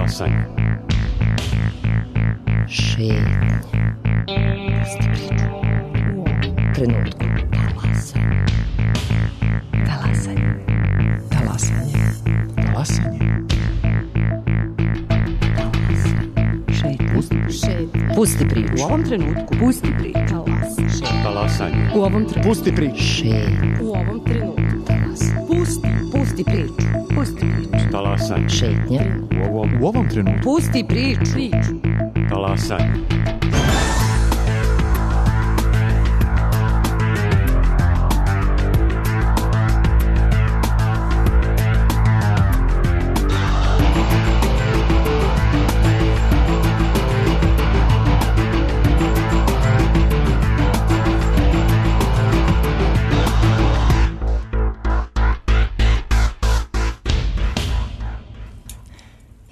Talasanje. Šetnje. Trenutku. Talasanje. Talasanje. Talasanje. Talasanje. Šetnje. Pusti priču. U ovom trenutku. Pusti priču. Talasanje. U ovom trenutku. Pusti priču. Šetnje. U ovom trenutku. Pusti priču. Pusti priču. Talasanje. Šetnje. U ovom trenutku. Pusti priču. Talasanje.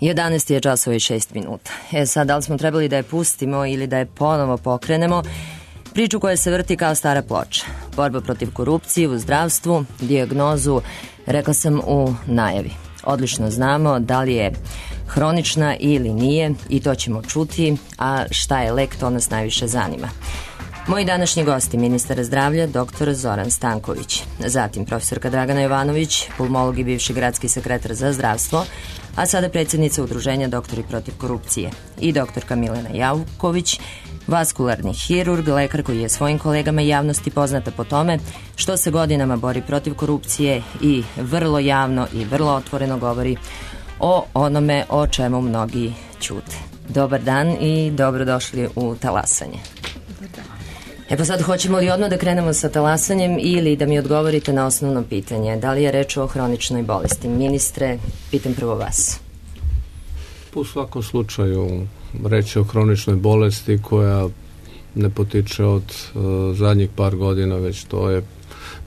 Jedanaest je časova i 6 minuta. Sad, da li smo trebali da je pustimo ili da je ponovo pokrenemo? Priču koja se vrti kao stara ploča. Borba protiv korupcije u zdravstvu, dijagnozu, rekla sam u najavi. Odlično znamo da li je hronična ili nije i to ćemo čuti, a šta je lek, to nas najviše zanima. Moji današnji gosti, ministar zdravlja, dr. Zoran Stanković, zatim profesorka Dragana Jovanović, pulmolog i bivši gradski sekretar za zdravstvo, a sada predsjednica udruženja Doktori protiv korupcije, i doktorka Milena Jauković, vaskularni hirurg, lekar koji je svojim kolegama i javnosti poznata po tome što se godinama bori protiv korupcije i vrlo javno i vrlo otvoreno govori o onome o čemu mnogi ćute. Dobar dan i dobrodošli u Talasanje. Pa sad, hoćemo li odmah da krenemo sa talasanjem ili da mi odgovorite na osnovno pitanje? Da li je reč o hroničnoj bolesti? Ministre, pitam prvo vas. U svakom slučaju reč je o hroničnoj bolesti koja ne potiče od zadnjih par godina, već to je,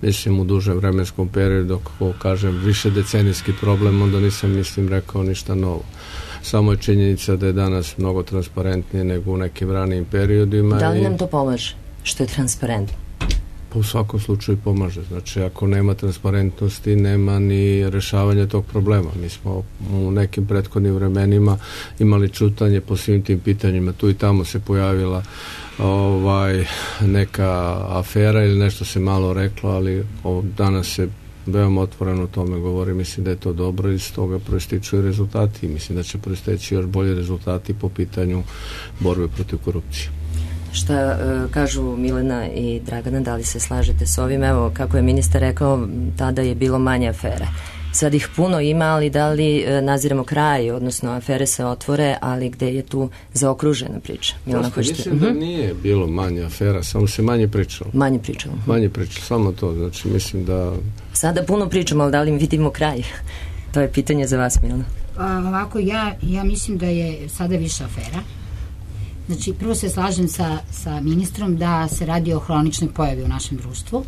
mislim, u dužem vremenskom periodu. Ako kažem više decenijski problem, onda nisam, rekao ništa novo. Samo je činjenica da je danas mnogo transparentnije nego u nekim ranijim periodima. Da li nam to pomaže što je transparentno? Pa u svakom slučaju pomaže. Znači, ako nema transparentnosti, nema ni rešavanja tog problema. Mi smo u nekim prethodnim vremenima imali čutanje po svim tim pitanjima. Tu i tamo se pojavila neka afera ili nešto se malo reklo, ali danas se veoma otvoreno o tome govori. Mislim da je to dobro i iz toga proističu i rezultati. I mislim da će proisteći još bolji rezultati po pitanju borbe protiv korupcije. Šta kažu Milena i Dragana, da li se slažete s ovim? Evo, kako je ministar rekao, tada je bilo manje afere. Sad ih puno ima, ali da li naziramo kraj, odnosno afere se otvore, ali gde je tu zaokružena priča? Milena, mislim da nije bilo manje afera, samo se manje pričalo. Manje pričalo, samo to. Znači, mislim da... Sada puno pričamo, ali da li vidimo kraj? To je pitanje za vas, Milena. Ovako, ja mislim da je sada više afera. Znači, prvo se slažem sa ministrom da se radi o hroničnoj pojavi u našem društvu,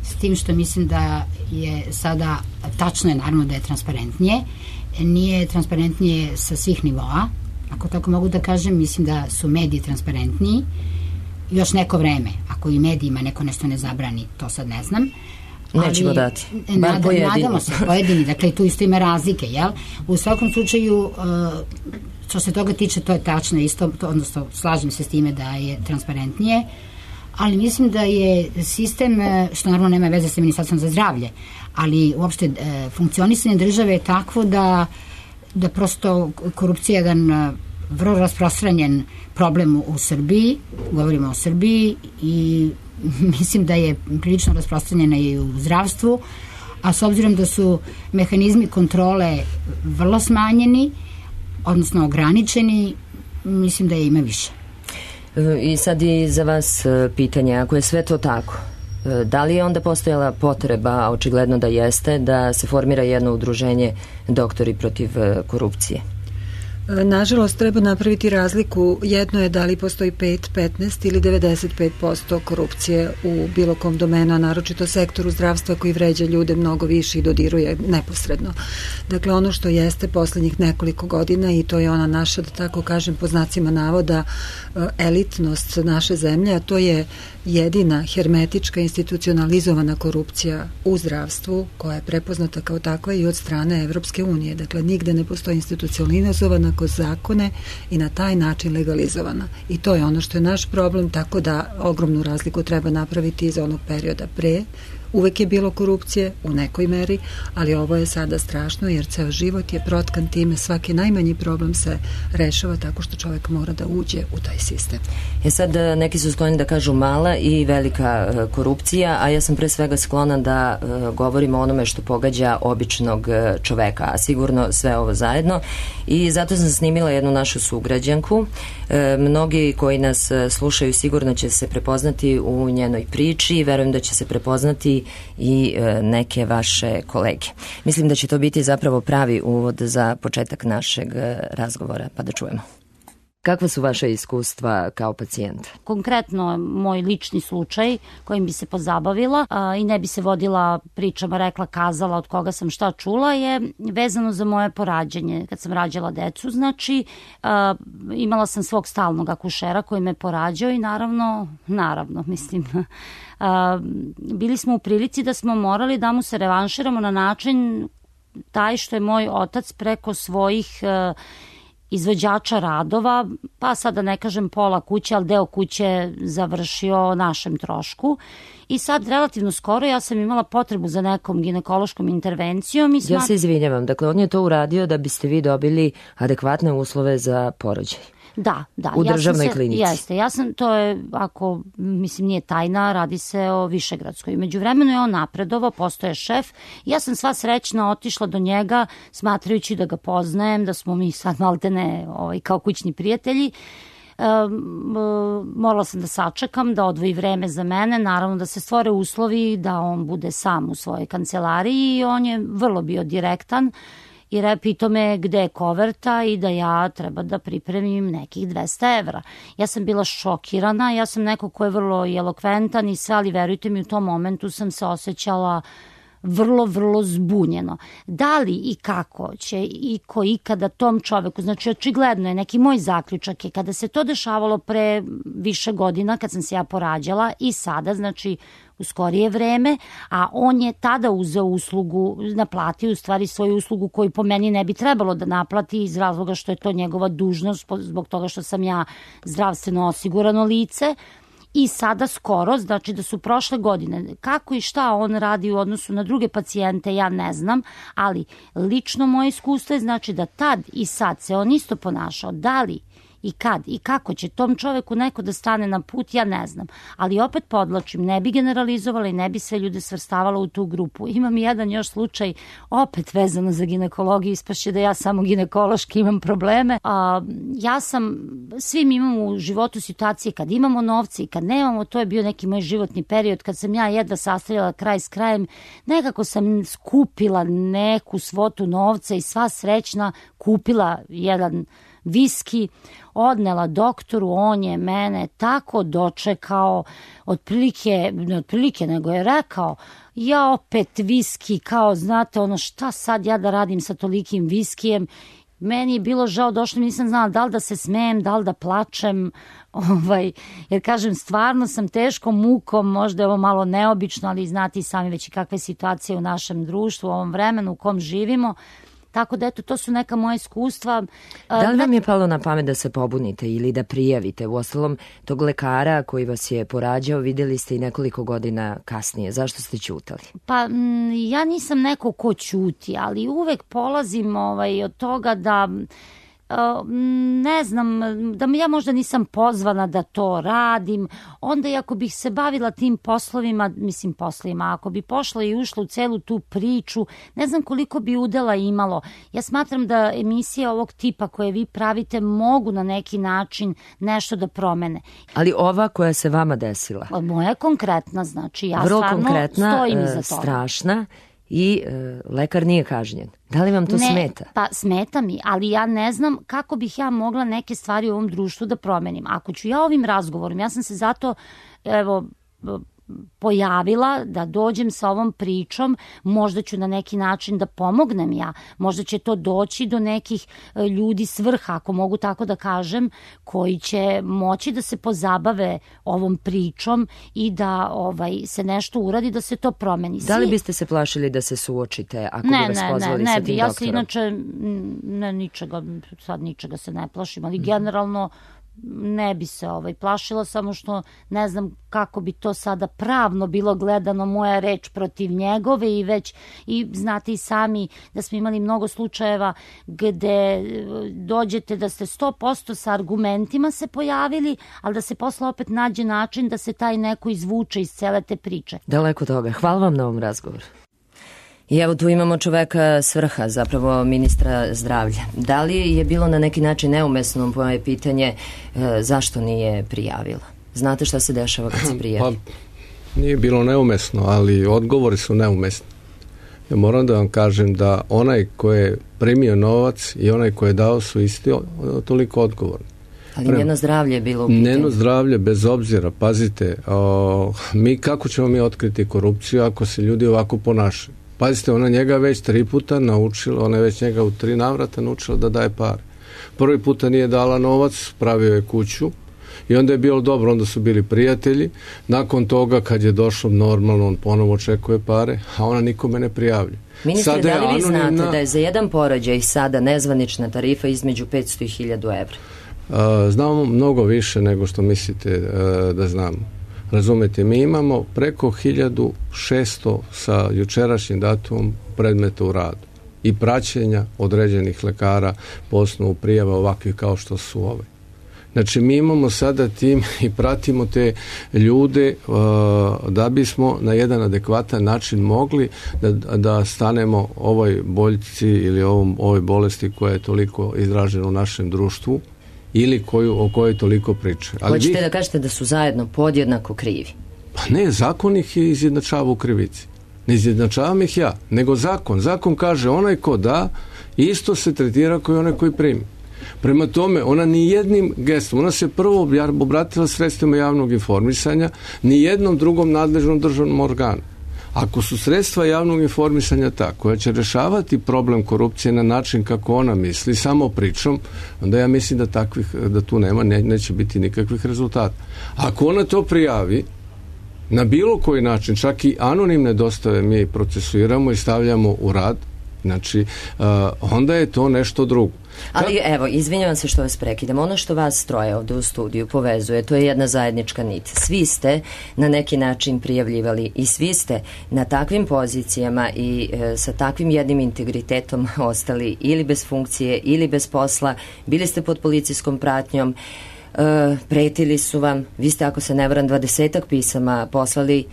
s tim što mislim da je sada, tačno je naravno da je transparentnije, nije transparentnije sa svih nivoa, ako tako mogu da kažem, mislim da su mediji transparentniji, još neko vreme, ako i medijima neko nešto ne zabrani, to sad ne znam. Nećemo dati, bar pojedini. Nadamo se, pojedini, dakle tu isto ima razlike, jel? U svakom slučaju, što se toga tiče, to je tačno isto, odnosno slažem se s time da je transparentnije, ali mislim da je sistem, što naravno nema veze sa Ministarstvom za zdravlje, ali uopšte funkcionisanje države je takvo da prosto korupcija je jedan vrlo rasprostranjen problem u Srbiji, govorimo o Srbiji, i mislim da je prilično rasprostranjena i u zdravstvu, a s obzirom da su mehanizmi kontrole vrlo smanjeni, odnosno ograničeni, mislim da je ima više. I sad i za vas pitanje, ako je sve to tako, da li je onda postojala potreba, a očigledno da jeste, da se formira jedno udruženje Doktori protiv korupcije? Nažalost, treba napraviti razliku. Jedno je da li postoji 5, 15 ili 95% korupcije u bilo kom domenu, a naročito sektoru zdravstva koji vređa ljude mnogo više i dodiruje neposredno. Dakle, ono što jeste poslednjih nekoliko godina, i to je ona naša, da tako kažem, po znacima navoda, elitnost naše zemlje, a to je jedina hermetička institucionalizovana korupcija u zdravstvu koja je prepoznata kao takva i od strane Evropske unije. Dakle, nigde ne postoji institucionalizovana kroz zakone i na taj način legalizovana. I to je ono što je naš problem, tako da ogromnu razliku treba napraviti iz onog perioda pre. Uvek je bilo korupcije u nekoj meri, ali ovo je sada strašno jer ceo život je protkan time, svaki najmanji problem se rešava tako što čovjek mora da uđe u taj sistem. Sad neki su skloni da kažu mala i velika korupcija, a ja sam pre svega sklona da govorim o onome što pogađa običnog čoveka, a sigurno sve ovo zajedno, i zato sam snimila jednu našu sugrađanku. Mnogi koji nas slušaju sigurno će se prepoznati u njenoj priči i verujem da će se prepoznati i neke vaše kolege. Mislim da će to biti zapravo pravi uvod za početak našeg razgovora, pa da čujemo. Kakva su vaše iskustva kao pacijent? Konkretno, moj lični slučaj kojim bi se pozabavila i ne bi se vodila pričama, rekla, kazala od koga sam šta čula, je vezano za moje porađanje. Kad sam rađala decu, znači, imala sam svog stalnog akušera koji me porađao i naravno, mislim, bili smo u prilici da smo morali da mu se revanširamo na način taj što je moj otac preko svojih izvođača radova, pa sada ne kažem pola kuće, ali deo kuće završio o našem trošku. I sad relativno skoro ja sam imala potrebu za nekom ginekološkom intervencijom. Ja se izvinjavam, dakle on je to uradio da biste vi dobili adekvatne uslove za porođaj. Da. U državnoj klinici. Jeste, to je, ako, mislim, nije tajna, radi se o Višegradskoj. Međuvremeno je on napredovao, postoje šef. Ja sam sva srećna otišla do njega, smatrajući da ga poznajem, da smo mi sad maltene kao kućni prijatelji. Morala sam da sačekam, da odvoji vreme za mene, naravno da se stvore uslovi da on bude sam u svojoj kancelariji i on je vrlo bio direktan. I pitao me gde je koverta i da ja treba da pripremim nekih 200 evra. Ja sam bila šokirana, ja sam neko ko je vrlo elokventan i sve, ali verujte mi, u tom momentu sam se osjećala vrlo, vrlo zbunjeno. Da li i kako će iko ikada tom čoveku, znači očigledno je, neki moj zaključak je, kada se to dešavalo pre više godina, kad sam se ja porađala i sada, znači u skorije vreme, a on je tada uzeo uslugu, naplatio u stvari svoju uslugu koju po meni ne bi trebalo da naplati iz razloga što je to njegova dužnost, zbog toga što sam ja zdravstveno osigurano lice. I sada skoro, znači da su prošle godine, kako i šta on radi u odnosu na druge pacijente, ja ne znam, ali lično moje iskustvo je znači da tad i sad se on isto ponašao. Da li i kad i kako će tom čoveku neko da stane na put, ja ne znam. Ali opet podlačim, ne bi generalizovala i ne bi sve ljude svrstavala u tu grupu. Imam jedan još slučaj, opet vezano za ginekologiju, ispašće da ja samo ginekološki imam probleme. Svi mi imamo u životu situacije kad imamo novce i kad nemamo, to je bio neki moj životni period kad sam ja jedva sastavljala kraj s krajem, nekako sam skupila neku svotu novca i sva srećna kupila jedan viski, odnela doktoru, on je mene tako dočekao, otprilike nego je rekao, ja opet viski, kao znate ono šta sad ja da radim sa tolikim viskijem. Meni je bilo žao, došlo mi, nisam znala da li da se smejem, da li da plačem, jer kažem, stvarno sam teškom mukom, možda je ovo malo neobično, ali znate i sami već i kakve situacije u našem društvu, u ovom vremenu u kom živimo. Tako da, eto, to su neka moja iskustva. Da li vam je palo na pamet da se pobunite ili da prijavite? Uostalom, tog lekara koji vas je porađao vidjeli ste i nekoliko godina kasnije. Zašto ste ćutali? Pa, ja nisam neko ko ćuti, ali uvek polazim od toga da ne znam, da ja možda nisam pozvana da to radim, onda i ako bih se bavila tim poslovima, ako bi pošla i ušla u celu tu priču, ne znam koliko bi udela imalo. Ja smatram da emisije ovog tipa koje vi pravite mogu na neki način nešto da promene. Ali ova koja se vama desila? Moja je konkretna, znači ja vrlo stvarno konkretna, stojim iza toga. Strašna. I lekar nije kažnjen. Da li vam to smeta? Pa smeta mi, ali ja ne znam kako bih ja mogla neke stvari u ovom društvu da promenim. Ako ću ja ovim razgovorom, ja sam se zato pojavila, da dođem sa ovom pričom, možda ću na neki način da pomognem ja, možda će to doći do nekih ljudi s vrha, ako mogu tako da kažem, koji će moći da se pozabave ovom pričom i da se nešto uradi, da se to promeni. Da li biste se plašili da se suočite ako bi vas pozvali sa tim doktorom? Ja se inače ničega se ne plašim, ali generalno ne bi se plašila, samo što ne znam kako bi to sada pravno bilo gledano, moja reč protiv njegove, i znate i sami da smo imali mnogo slučajeva gde dođete da ste 100% sa argumentima se pojavili, ali da se posle opet nađe način da se taj neko izvuče iz cele te priče. Daleko toga. Hvala vam na ovom razgovoru. I evo tu imamo čoveka s vrha, zapravo ministra zdravlja. Da li je bilo na neki način neumesno moje pitanje zašto nije prijavila? Znate šta se dešava kad se prijavi? Pa nije bilo neumesno, ali odgovori su neumesni. Ja moram da vam kažem da onaj ko je primio novac i onaj ko je dao su isti toliko odgovorni. Ali njeno zdravlje je bilo u pitanju. Njeno zdravlje, bez obzira, pazite, kako ćemo mi otkriti korupciju ako se ljudi ovako ponašaju? Pazite, ona njega već 3 puta naučila, ona je već njega u 3 navrata naučila da daje pare. Prvi puta nije dala novac, pravio je kuću i onda je bilo dobro, onda su bili prijatelji. Nakon toga, kad je došlo normalno, on ponovo očekuje pare, a ona nikome ne prijavlja. Ministre, da li vi znate da je za jedan porođaj sada nezvanična tarifa između 500 i 1000 evra? Znamo mnogo više nego što mislite da znamo. Razumete, mi imamo preko 1600 sa jučerašnjim datumom predmeta u radu i praćenja određenih lekara po osnovu prijava ovakvih kao što su ove. Znači, mi imamo sada tim i pratimo te ljude da bismo na jedan adekvatan način mogli da stanemo ovoj boljci ili ovoj bolesti koja je toliko izražena u našem društvu ili o kojoj toliko priče. Hoćete da kažete da su zajedno podjednako krivi? Pa ne, zakon ih izjednačava u krivici. Ne izjednačavam ih ja, nego zakon. Zakon kaže onaj ko da, isto se tretira kao i onaj koji primi. Prema tome, ona ni jednim gestom, ona se prvo obratila sredstvima javnog informisanja, ni jednom drugom nadležnom državnom organu. Ako su sredstva javnog informisanja ta koja će rešavati problem korupcije na način kako ona misli, samo pričom, onda ja mislim da tu neće biti nikakvih rezultata. Ako ona to prijavi na bilo koji način, čak i anonimne dostave mi procesuiramo i stavljamo u rad, znači onda je to nešto drugo. Ali evo, izvinjavam se što vas prekidam. Ono što vas troje ovde u studiju povezuje, to je jedna zajednička nit. Svi ste na neki način prijavljivali i svi ste na takvim pozicijama i sa takvim jednim integritetom ostali ili bez funkcije ili bez posla. Bili ste pod policijskom pratnjom, pretili su vam. Vi ste, ako se ne varam, 20-ak pisama poslali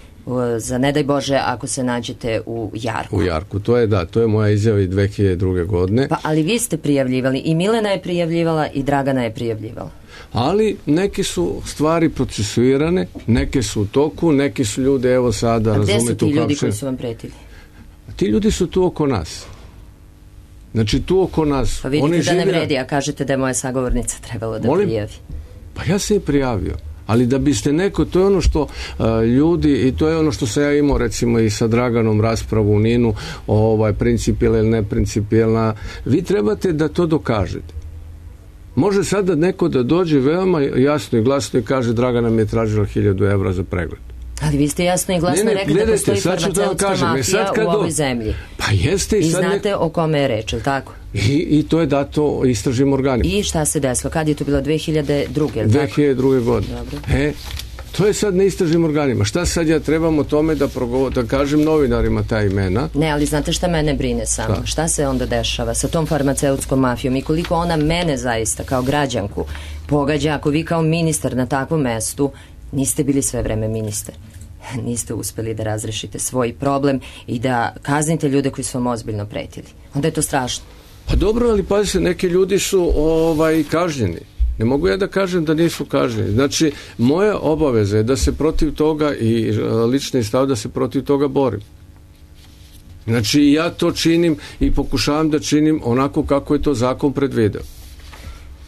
za ne daj Bože ako se nađete u Jarku. U Jarku, to je moja izjava i 2002. godine. Pa, ali vi ste prijavljivali, i Milena je prijavljivala i Dragana je prijavljivala. Ali neke su stvari procesuirane, neke su u toku, neki su ljudi, evo sada, razumete... A gde su ti ljudi koji su vam pretili? Ti ljudi su tu oko nas. Znači, tu oko nas. Pa vidite da ne vredi, a kažete da je moja sagovornica trebalo da prijavi. Pa ja se je prijavio. Ali da biste neko, to je ono što ljudi, i to je ono što sam ja imao recimo i sa Draganom raspravu u Ninu, principijelna ili neprincipijelna, vi trebate da to dokažete. Može sada neko da dođe veoma jasno i glasno i kaže Dragana mi je tražila 1000 evra za pregled. Ali vi ste jasno i glasno rekli da postoji farmaceutska mafija u ovoj zemlji. Pa jeste. I znate o kome je reč, ili tako? I to je dato istražnim organima. I šta se desilo? Kad je to bilo? 2002. 2002. godine. To je sad na istražnim organima. Šta sad ja trebam o tome da kažem novinarima ta imena? Ne, ali znate šta mene brine samo? Da. Šta se onda dešava sa tom farmaceutskom mafijom i koliko ona mene zaista kao građanku pogađa ako vi kao ministar na takvom mestu niste bili sve vreme ministar. Niste uspeli da razrešite svoj problem i da kaznite ljude koji su vam ozbiljno pretili. Onda je to strašno. Pa dobro, ali pazite, neki ljudi su kažnjeni. Ne mogu ja da kažem da nisu kažnjeni. Znači, moja obaveza je da se protiv toga i lični stav da se protiv toga borim. Znači, ja to činim i pokušavam da činim onako kako je to zakon predvideo.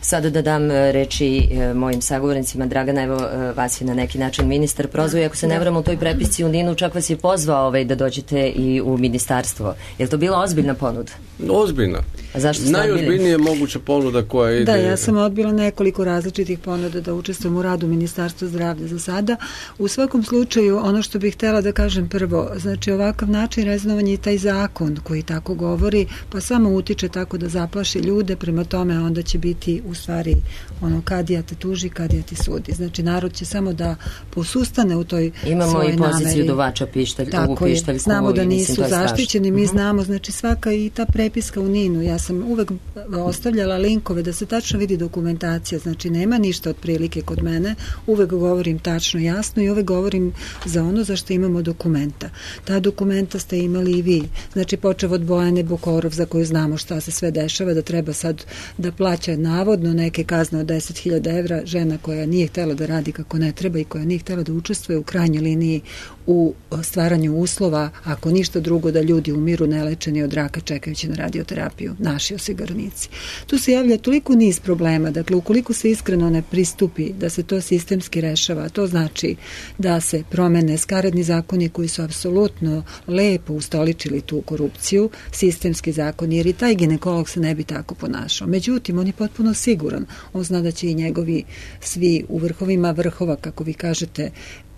Sada da dam reči mojim sagovornicima. Dragana, evo vas je na neki način ministar prozvao i ako se ne vramo u toj prepisci u NIN-u, čak vas je pozvao da dođete i u ministarstvo. Je li to bila ozbiljna ponuda? Ozbiljna. A zašto ste najozbiljnije moguća ponuda koja ide... Da, ja sam odbila nekoliko različitih ponuda da učestvujem u radu Ministarstva zdravlja za sada. U svakom slučaju, ono što bih htjela da kažem prvo, znači ovakav način reznovanja i taj zakon koji tako govori, pa samo utiče tako da zaplaši ljude, prema tome onda će biti u stvari ono kadija te tuži, kadija ti sudi. Znači narod će samo da posustane u toj svojoj nameri. Imamo i poziciju duvača u pištaljku. Znamo da nisu zaštićeni, mi znamo, znači svaka i ta prepiska u NIN-u, ja sam uvek ostavljala linkove da se tačno vidi dokumentacija, znači nema ništa otprilike kod mene, uvek govorim tačno, jasno i uvek govorim za ono za što imamo dokumenta. Ta dokumenta ste imali i vi, znači počev od Bojane Bokorov za koju znamo šta se sve dešava, da treba sad da plaća navodno neke kazne od 10.000 evra, žena koja nije htjela da radi kako ne treba i koja nije htjela da učestvuje u krajnjoj liniji u stvaranju uslova, ako ništa drugo da ljudi umiru nelečeni od raka čekajući na radioterapiju, naši osiguranici. Tu se javlja toliko niz problema, dakle ukoliko se iskreno ne pristupi da se to sistemski rešava, to znači da se promene skaradni zakoni koji su apsolutno lepo ustoličili tu korupciju, sistemski zakon, jer i taj ginekolog se ne bi tako ponašao. Međutim, on je potpuno siguran, on zna da će i njegovi svi u vrhovima vrhova, kako vi kažete,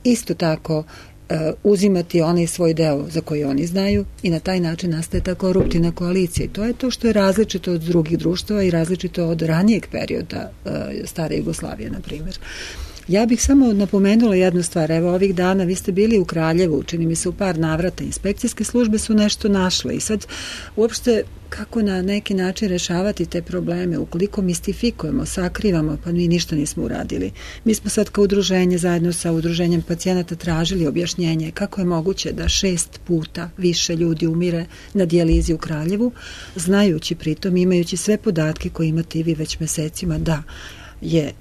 isto tako uzimati onaj svoj deo za koji oni znaju i na taj način nastaje ta koruptivna koalicija. I to je to što je različito od drugih društava i različito od ranijeg perioda stare Jugoslavije, na primjer. Ja bih samo napomenula jednu stvar. Evo, ovih dana vi ste bili u Kraljevu, čini mi se u par navrata. Inspekcijske službe su nešto našle i sad uopšte kako na neki način rešavati te probleme, ukoliko mistifikujemo, sakrivamo, pa mi ništa nismo uradili. Mi smo sad kao udruženje zajedno sa udruženjem pacijenata tražili objašnjenje kako je moguće da 6 puta više ljudi umire na dijalizi u Kraljevu, znajući pritom, imajući sve podatke koje imate i vi već mesecima, da je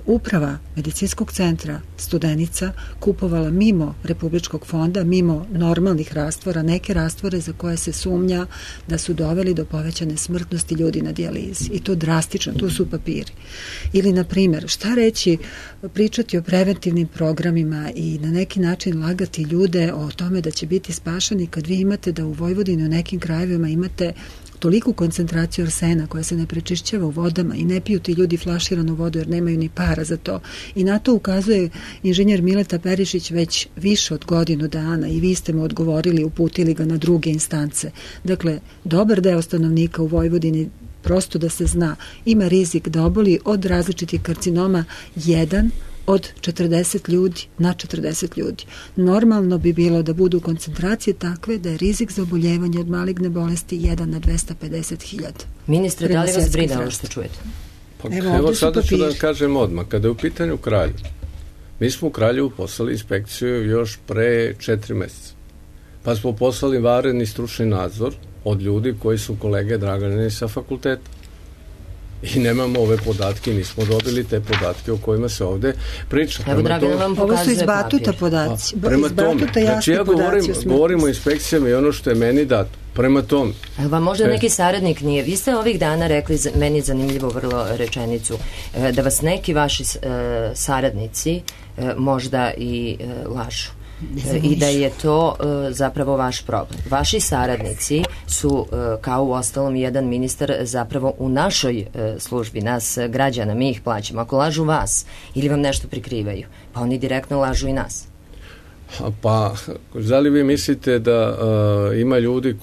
uprava medicinskog centra Studenica kupovala mimo Republičkog fonda, mimo normalnih rastvora, neke rastvore za koje se sumnja da su doveli do povećane smrtnosti ljudi na dijalizi. I to drastično, tu su papiri. Ili, na primjer, šta reći, pričati o preventivnim programima i na neki način lagati ljude o tome da će biti spašani kad vi imate da u Vojvodini u nekim krajevima imate toliku koncentraciju arsena koja se ne prečišćava u vodama i ne piju ti ljudi flaširanu vodu jer nemaju ni para za to. I na to ukazuje inženjer Mileta Perišić već više od godinu dana i vi ste mu odgovorili, uputili ga na druge instance. Dakle, dobar deo stanovnika u Vojvodini, prosto da se zna, ima rizik da oboli od različitih karcinoma 1 od 40 ljudi na 40 ljudi. Normalno bi bilo da budu koncentracije takve da je rizik za oboljevanje od maligne bolesti 1 na 250.000. Ministre, da li vas brine ovo što čujete? Pa, evo sada ću da kažem odmah. Kada je u pitanju Kraljevo, mi smo u Kraljevu poslali inspekciju još pre 4 mjeseca. Pa smo poslali vanredni stručni nadzor od ljudi koji su kolege Draganine sa fakulteta. I nemamo ove podatke, nismo dobili te podatke o kojima se ovde priča. Evo, Dragana vam pokazuje ovo su iz Batuta podaci. Prema tome, znači ja govorim o inspekcijama i ono što je meni dato. Prema tome. Evo vam možda neki saradnik nije. Vi ste ovih dana rekli, meni zanimljivo vrlo rečenicu, da vas neki vaši saradnici možda i lažu. I da je to zapravo vaš problem. Vaši saradnici su, kao u ostalom jedan ministar, zapravo u našoj službi, nas građana, mi ih plaćamo. Ako lažu vas ili vam nešto prikrivaju, pa oni direktno lažu i nas. Pa, da li vi mislite da ima ljudi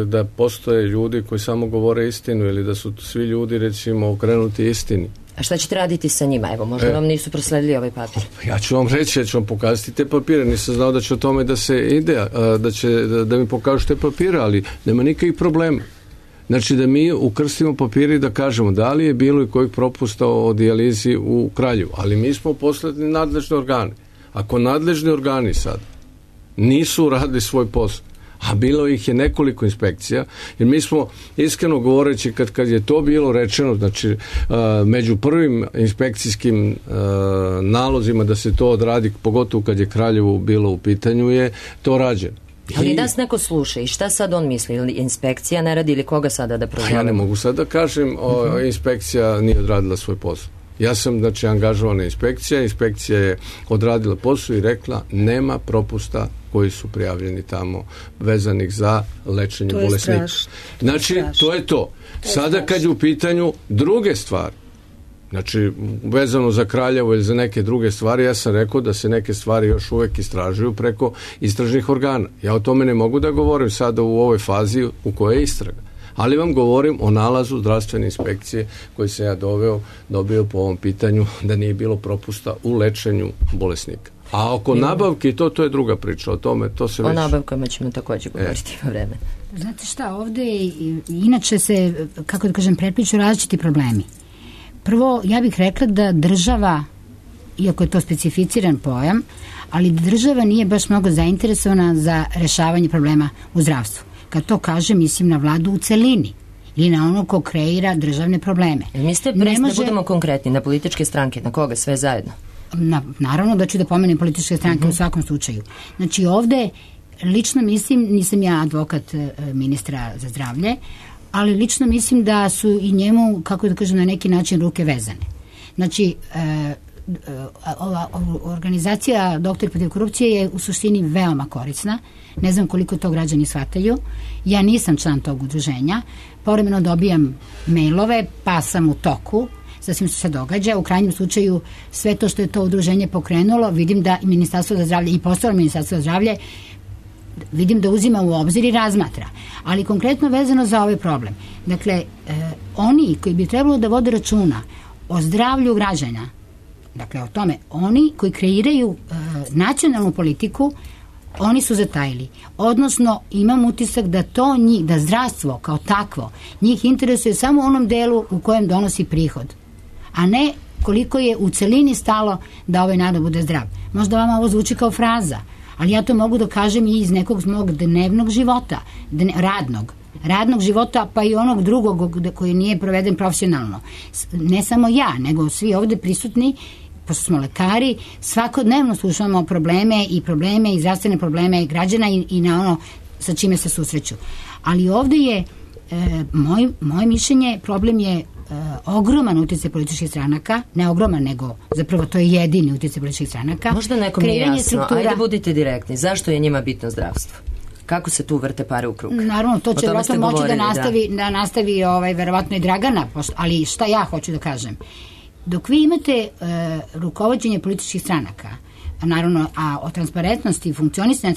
da postoje ljudi koji samo govore istinu ili da su svi ljudi, recimo, okrenuti istini? A šta ćete raditi sa njima? Evo, možda vam nisu prosledili ovaj papir. Ja ću vam reći, ja ću vam pokazati te papire. Nisam znao da će o tome da se ide, da mi pokažu te papire, ali nema nikakvih problema. Znači da mi ukrstimo papire i da kažemo da li je bilo i kojih propusta o dijalizi u Kraljevu. Ali mi smo poslali nadležne organe. Ako nadležni organi sad nisu uradili svoj posao, a bilo ih je nekoliko inspekcija, jer mi smo, iskreno govoreći, kad je to bilo rečeno, znači među prvim inspekcijskim nalozima da se to odradi, pogotovo kad je Kraljevo bilo u pitanju, je to rađeno. Ali nas neko sluša i šta sad on misli? Ili inspekcija ne radi ili koga sada da prozove? Ja ne mogu sad da kažem, inspekcija nije odradila svoj posao. Ja sam, znači, angažovana inspekcija je odradila posao i rekla nema propusta koji su prijavljeni tamo vezanih za lečenje bolesnika. Znači, to je to. Sada kad je u pitanju druge stvari, znači, vezano za Kraljevo ili za neke druge stvari, ja sam rekao da se neke stvari još uvek istražuju preko istražnih organa. Ja o tome ne mogu da govorim sada u ovoj fazi u kojoj je istraga. Ali vam govorim o nalazu zdravstvene inspekcije koji sam ja dobio po ovom pitanju da nije bilo propusta u lečenju bolesnika. A oko nabavke to je druga priča. O tome to se već... O nabavkama ćemo također govoriti po vreme. Znate šta, ovde inače se, kako da kažem, prepliču različiti problemi. Prvo, ja bih rekla da država, iako je to specificiran pojam, ali država nije baš mnogo zainteresovana za rešavanje problema u zdravstvu. Kad to kažem, mislim na vladu u celini ili na ono ko kreira državne probleme. Mislite, da budemo konkretni, na političke stranke, na koga, sve zajedno? Naravno da ću da pomenem političke stranke u svakom slučaju. Znači ovde, lično mislim, nisam ja advokat ministra za zdravlje, ali lično mislim da su i njemu, kako da kažem, na neki način ruke vezane. Znači, ova organizacija Doktori protiv korupcije je u suštini veoma korisna. Ne znam koliko to građani shvataju. Ja nisam član tog udruženja. Povremeno dobijam mailove, pa sam u toku sa svim što se događa. U krajnjem slučaju sve to što je to udruženje pokrenulo, vidim da Ministarstvo za zdravlje i postalo Ministarstvo za zdravlje vidim da uzima u obzir i razmatra. Ali konkretno vezano za ovaj problem. Dakle, oni koji bi trebalo da vode računa o zdravlju građana, dakle o tome, oni koji kreiraju nacionalnu politiku, oni su zatajili. Odnosno, imam utisak da to njih, da zdravstvo kao takvo, njih interesuje samo u onom delu u kojem donosi prihod, a ne koliko je u celini stalo da ovaj narod bude zdrav. Možda vama ovo zvuči kao fraza, ali ja to mogu da kažem i iz nekog mog dnevnog života, radnog života, pa i onog drugog koji nije proveden profesionalno. Ne samo ja, nego svi ovde prisutni, pošto smo lekari, svakodnevno slušamo probleme i zdravstvene probleme građana i na ono sa čime se susreću. Ali ovde je, moje mišljenje, problem je ogroman utjecaj političkih stranaka, ne ogroman, nego zapravo to je jedini utjecaj političkih stranaka. Možda nekom nije jasno, ajde budite direktni, zašto je njima bitno zdravstvo? Kako se tu vrte pare u krug? Naravno, to će vjerojatno moći da nastavi verovatno i Dragana, ali šta ja hoću da kažem? Dok vi imate rukovođenje političkih stranaka, naravno, a o transparentnosti i funkcionisanju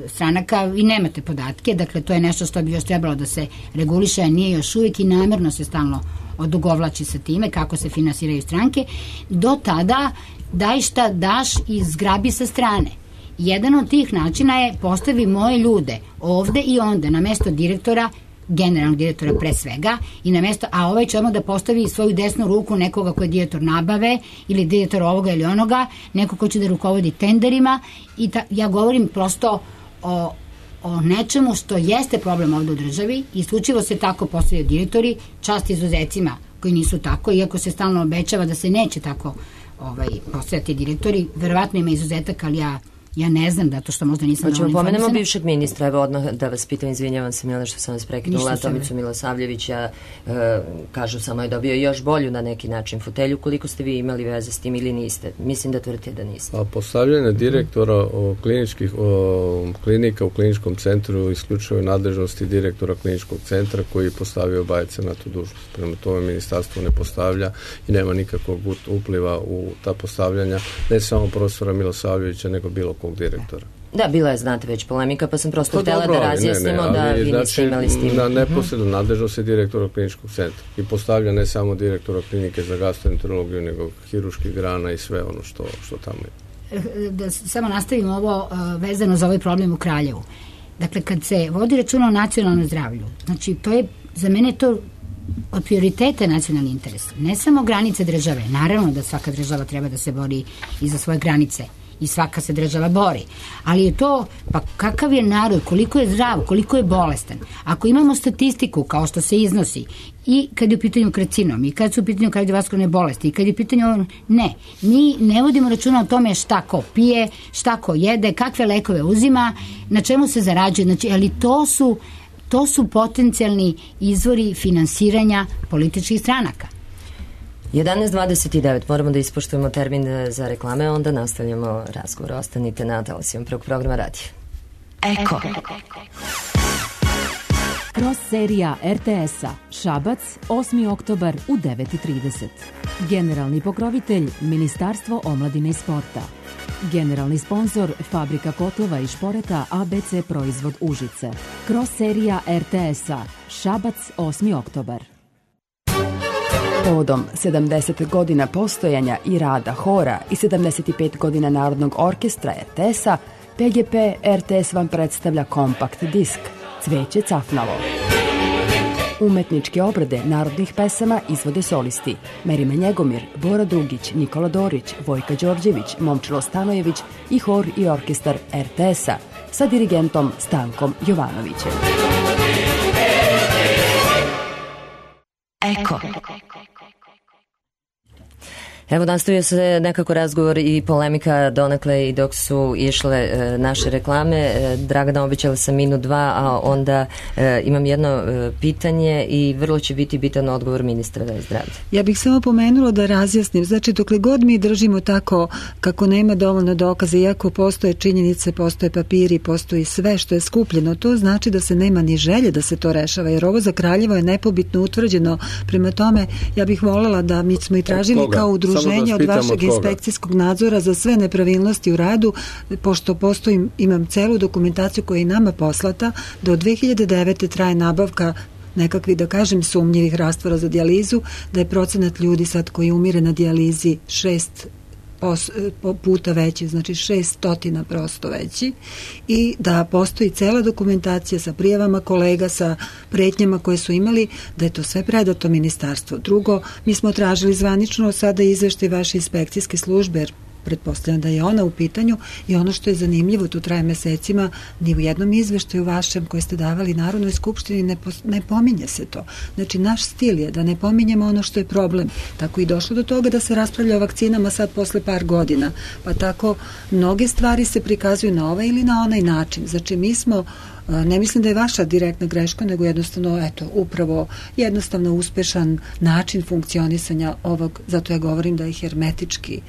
stranaka vi nemate podatke, dakle to je nešto što bi još trebalo da se reguliše, a nije još uvijek i namerno se stalno odugovlači sa time kako se finansiraju stranke. Do tada daj šta daš i zgrabi sa strane. Jedan od tih načina je postavi moje ljude ovde i onda na mesto direktora, generalnog direktora pre svega, i na mesto, a ovaj će odmah da postavi svoju desnu ruku nekoga ko je direktor nabave ili direktor ovoga ili onoga, neko ko će da rukovodi tenderima i ja govorim prosto o nečemu što jeste problem ovde u državi, isključivo se tako postavljaju direktori, čast izuzecima koji nisu tako, iako se stalno obećava da se neće tako postavljati direktori, verovatno ima izuzetak, ali ja ne znam, zato što možda nisam dovoljno informisana. Pomenemo bivšeg ministra, evo odmah da vas pitam, izvinjavam se Mile što sam vas prekinula, Tomicu Milosavljevića, kažu samo je dobio još bolju na neki način fotelju, koliko ste vi imali veze s tim ili niste? Mislim da tvrdite da niste. A postavljanje direktora klinika u kliničkom centru isključuje nadležnosti direktora kliničkog centra koji je postavio Bajece na tu dužnost. Prema tome ministarstvo ne postavlja i nema nikakvog upliva u ta postavljanja, ne samo profesora Milosavljevića, nego bilo kog direktora. Da, bila je, znate, već polemika, pa sam prosto htjela da razjasnimo da vi niste imali s tim. Neposredno nadležnost je direktora kliničkog centra i postavlja ne samo direktora klinike za gastroenterologiju, nego hiruških grana i sve ono što tamo je. Da samo nastavimo ovo vezano za ovaj problem u Kraljevu. Dakle, kad se vodi računa o nacionalnom zdravlju, znači to je, za mene to od prioriteta nacionalni interes. Ne samo granice države, naravno da svaka država treba da se bori i za svoje granice i svaka se država bori. Ali je to, pa kakav je narod, koliko je zdrav, koliko je bolestan. Ako imamo statistiku kao što se iznosi i kad je u pitanju karcinom, i kad su u pitanju kardiovaskularne bolesti, i kad je u pitanju mi ne vodimo računa o tome šta ko pije, šta ko jede, kakve lekove uzima, na čemu se zarađuje, znači, ali to su potencijalni izvori finansiranja političkih stranaka. 11:29, moramo da ispoštujemo termin za reklame, onda nastavljamo razgovor. Ostanite na talasima prvog programa radija. Eko. Kroz serija RTS-a Šabac, 8. oktobar u 9:30. Generalni pokrovitelj Ministarstvo omladine i sporta. Generalni sponsor Fabrika kotlova i šporeta ABC Proizvod Užice. Kroz serija RTS-a Šabac, 8. oktobar. Povodom 70 godina postojanja i rada hora i 75 godina Narodnog orkestra RTS-a, PGP RTS vam predstavlja kompakt disk Cveće cafnalo. Umetničke obrade narodnih pesama izvode solisti Merima Njegomir, Bora Dugić, Nikola Dorić, Vojka Đorđević, Momčilo Stanojević i hor i orkestar RTS-a sa dirigentom Stankom Jovanovićem. Eko. Evo, nastavio se nekako razgovor i polemika donekle i dok su išle naše reklame. Dragana, obećala sam minut, dva, a onda imam jedno pitanje i vrlo će biti bitan odgovor ministra zdravlja. Ja bih samo pomenula da razjasnim. Znači, dokle god mi držimo tako kako nema dovoljno dokaza, iako postoje činjenice, postoje papiri, postoji sve što je skupljeno, to znači da se nema ni želje da se to rešava, jer ovo za Kraljevo je nepobitno utvrđeno. Prema tome, ja bih voljela da mi smo i tražili kao udruženje od vašeg inspekcijskog nadzora za sve nepravilnosti u radu, pošto imam celu dokumentaciju koja je i nama poslata, da od 2009. traje nabavka nekakvih, da kažem, sumnjivih rastvora za dijalizu, da je procenat ljudi sad koji umire na dijalizi 6 puta veći, znači 600 prosto veći, i da postoji cela dokumentacija sa prijavama kolega, sa pretnjama koje su imali, da je to sve predato ministarstvo. Drugo, mi smo tražili zvanično sada izveštaj vaše inspekcijske službe, jer pretpostavljam da je ona u pitanju, i ono što je zanimljivo, to traje mesecima, ni u jednom izveštaju vašem koje ste davali Narodnoj skupštini ne pominje se to. Znači, naš stil je da ne pominjemo ono što je problem. Tako i došlo do toga da se raspravlja o vakcinama sad posle par godina. Pa tako mnoge stvari se prikazuju na ovaj ili na onaj način. Znači, mi smo, ne mislim da je vaša direktna greška, nego jednostavno, upravo jednostavno uspešan način funkcionisanja ovog, zato ja govorim da je hermetički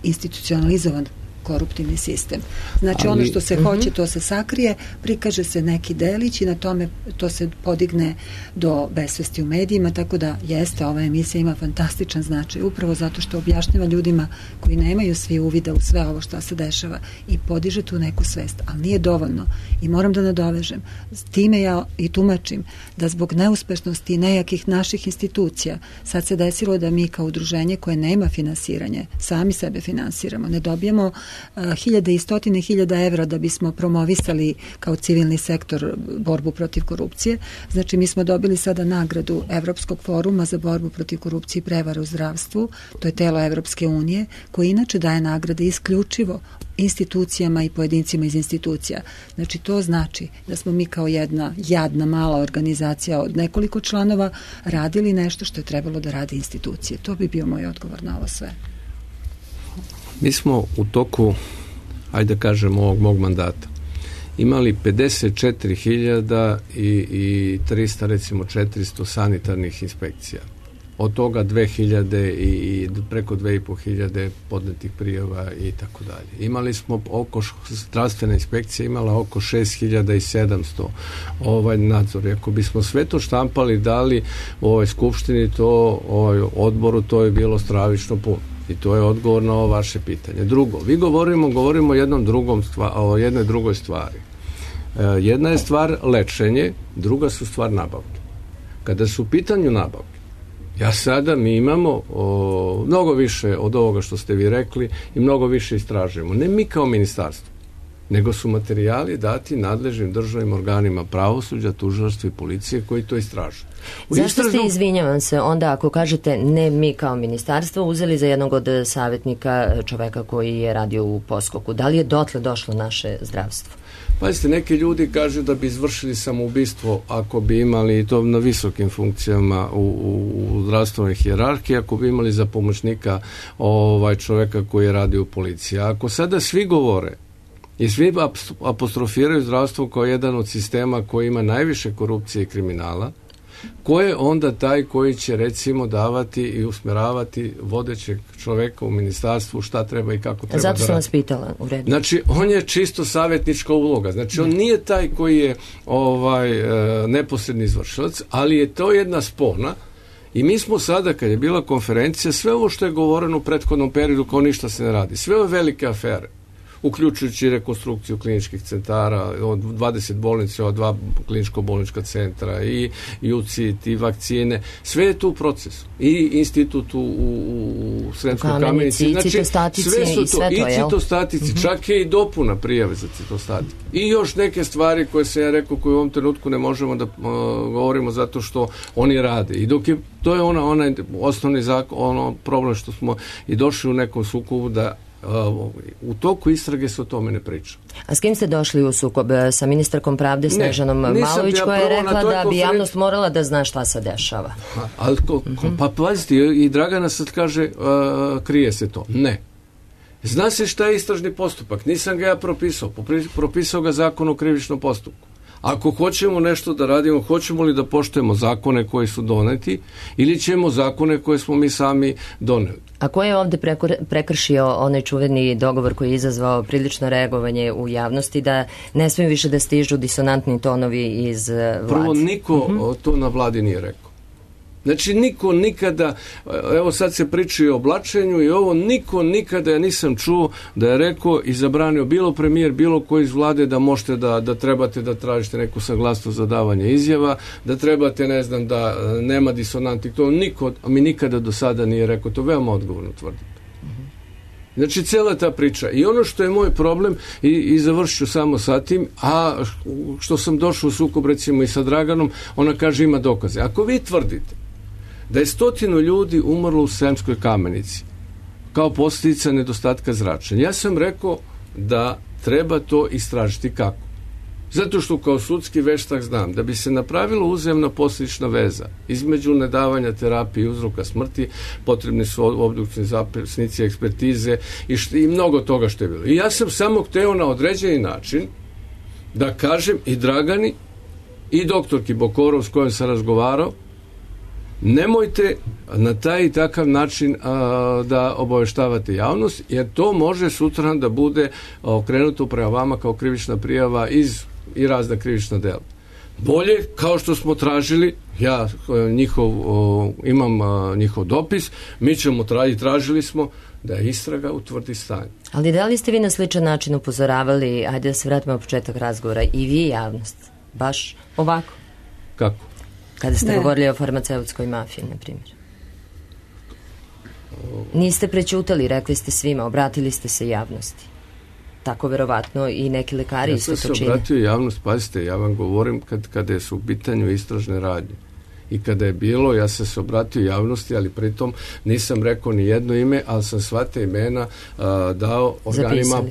institucionalizovan koruptivni sistem. Znači, ono što se hoće, to se sakrije, prikaže se neki delić i na tome to se podigne do besvesti u medijima, tako da jeste, ova emisija ima fantastičan značaj, upravo zato što objašnjava ljudima koji nemaju svi uvida u sve ovo što se dešava i podiže tu neku svest, ali nije dovoljno. I moram da nadovežem, s time ja i tumačim da zbog neuspešnosti i nejakih naših institucija sad se desilo da mi kao udruženje koje nema finansiranje, sami sebe finansiramo, ne dobijemo hiljade i stotine hiljada evra da bismo promovisali kao civilni sektor borbu protiv korupcije. Znači, mi smo dobili sada nagradu Evropskog foruma za borbu protiv korupcije i prevare u zdravstvu, to je telo Evropske unije, koje inače daje nagrade isključivo institucijama i pojedincima iz institucija. Znači, to znači da smo mi kao jedna jadna mala organizacija od nekoliko članova radili nešto što je trebalo da radi institucije. To bi bio moj odgovor na ovo sve. Mi smo u toku, ajde da kažemo, ovog mog mandata imali 54.000 i 300, recimo 400 sanitarnih inspekcija. Od toga 2.000 i preko 2.500 podnetih prijava i tako dalje. Imali smo zdravstvena inspekcija imala oko 6.700 nadzor. Ako bismo sve to štampali, dali u ovoj skupštini, odboru, to je bilo stravično puno. I to je odgovor na ovo vaše pitanje. Drugo, vi govorimo o jednoj drugoj stvari. Jedna je stvar lečenje, druga su stvar nabavke. Kada su u pitanju nabavke, mi imamo mnogo više od ovoga što ste vi rekli i mnogo više istražujemo. Ne mi kao ministarstvo, nego su materijali dati nadležnim državnim organima pravosuđa, tužilaštva i policije koji to istražuju. Zašto ste, izvinjavam se, onda ako kažete ne mi kao ministarstvo uzeli za jednog od savjetnika čoveka koji je radio u poskoku? Da li je dotle došlo naše zdravstvo? Pazite, neki ljudi kažu da bi izvršili samoubistvo ako bi imali, to na visokim funkcijama u zdravstvenoj hijerarhiji, ako bi imali za pomoćnika čoveka koji je radio u policiji. Ako sada svi govore i svi apostrofiraju zdravstvo kao jedan od sistema koji ima najviše korupcije i kriminala, ko je onda taj koji će recimo davati i usmeravati vodećeg čoveka u ministarstvu šta treba i kako treba da radi? Zato sam vas pitala, u redu. Znači, on je čisto savjetnička uloga. Znači, on nije taj koji je neposredni izvršilac, ali je to jedna spona. I mi smo sada, kad je bila konferencija, sve ovo što je govoreno u prethodnom periodu kao ništa se ne radi. Sve ove velike afere, uključujući rekonstrukciju kliničkih centara, od 20 bolnica, od 2 kliničko-bolnička centra i UCIT i vakcine, sve je tu u procesu. I institut u Sremskoj Kamenici, znači sve su to, i citostatici, čak je i dopuna prijave za citostatike. I još neke stvari koje sam ja rekao, koje u ovom trenutku ne možemo da govorimo zato što oni rade. I dok je, to je onaj osnovni zakon, problem što smo i došli u nekom sukobu da u toku istrage se o tome ne priča. A s kim ste došli u sukob? Sa ministarkom pravde Snežanom Malović, koja je rekla da bi javnost morala da zna šta se dešava? Pa pazite, i Dragana sad kaže krije se to. Ne. Zna se šta je istražni postupak. Nisam ga ja propisao. Propisao ga Zakon o krivičnom postupku. Ako hoćemo nešto da radimo, hoćemo li da poštujemo zakone koji su doneti ili ćemo zakone koje smo mi sami doneli? A ko je ovde prekršio onaj čuveni dogovor koji je izazvao prilično reagovanje u javnosti da ne smiju više da stižu disonantni tonovi iz vlade? Prvo, niko to na vladi nije rekao. Znači, niko nikada, evo sad se priča i o oblačenju i ovo, niko nikada ja nisam čuo da je rekao i zabranio bilo premijer, bilo koji iz vlade da možete da trebate da tražite neku saglasnost za davanje izjava, da trebate, ne znam, da nema disonanti. To niko mi nikada do sada nije rekao, to veoma odgovorno tvrdim. Znači, cijela ta priča. I ono što je moj problem, i završit ću samo sa tim, a što sam došao u sukob recimo i sa Draganom, ona kaže ima dokaze. Ako vi tvrdite da je 100 ljudi umrlo u Sremskoj Kamenici kao posljedica nedostatka zračenja, ja sam rekao da treba to istražiti. Kako? Zato što kao sudski veštak znam da bi se napravila uzajamna posljedična veza između nedavanja terapije i uzroka smrti, potrebni su obduktivni zapisnici, ekspertize i mnogo toga što je bilo. I ja sam samo hteo na određeni način da kažem i Dragani i doktorki Bokorov s kojom sam razgovarao, nemojte na taj i takav način da obaveštavate javnost, jer to može sutra da bude okrenuto prema vama kao krivična prijava i razna krivična dela. Bolje, kao što smo tražili, ja imam njihov dopis, mi ćemo tražili smo da istraga utvrdi stanje. Ali da li ste vi na sličan način upozoravali, ajde da se vratimo na početak razgovora, i vi javnost, baš ovako? Kako? Kada ste govorili o farmaceutskoj mafiji, na primjer. Niste prećutali, rekli ste svima, obratili ste se javnosti. Tako verovatno i neki lekari isto to čine. Ja sam se obratio javnost, pazite, ja vam govorim kada su u pitanju istražne radnje. I kada je bilo, ja sam se obratio javnosti, ali pritom nisam rekao ni jedno ime, ali sam sva te imena dao organima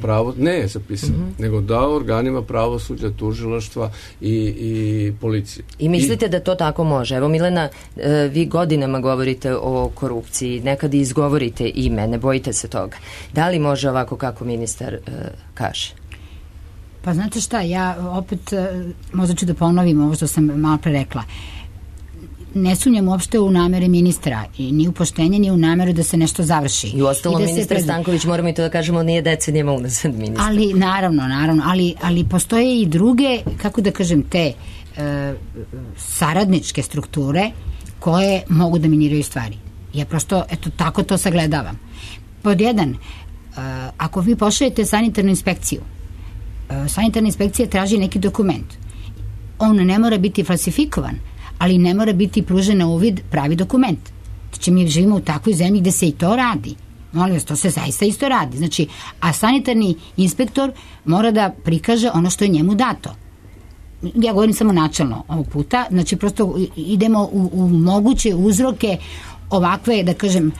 nego dao organima pravosuđa, tužilaštva i policije. I mislite da to tako može? Evo, Milena, vi godinama govorite o korupciji, nekad izgovorite ime, ne bojite se toga. Da li može ovako kako ministar kaže? Pa znate šta, ja opet možda ću da ponovim ovo što sam malo pre rekla. Ne sumnjam uopšte u namere ministra i ni u poštenje, ni u nameru da se nešto završi. I uostalom ministar Stanković, moramo i to da kažemo, nije decenijama unazad ministar. Ali, naravno, ali postoje i druge, kako da kažem, te saradničke strukture koje mogu da miniraju stvari. Ja prosto, tako to sagledavam. Pod jedan, ako vi pošaljete sanitarnu inspekciju, sanitarna inspekcija traži neki dokument. On ne mora biti falsifikovan, ali ne mora biti pružen na uvid pravi dokument. Znači, mi živimo u takvoj zemlji gde se i to radi. Molim vas, to se zaista isto radi. Znači, a sanitarni inspektor mora da prikaže ono što je njemu dato. Ja govorim samo načelno ovog puta, znači prosto idemo u moguće uzroke ovakve, da kažem,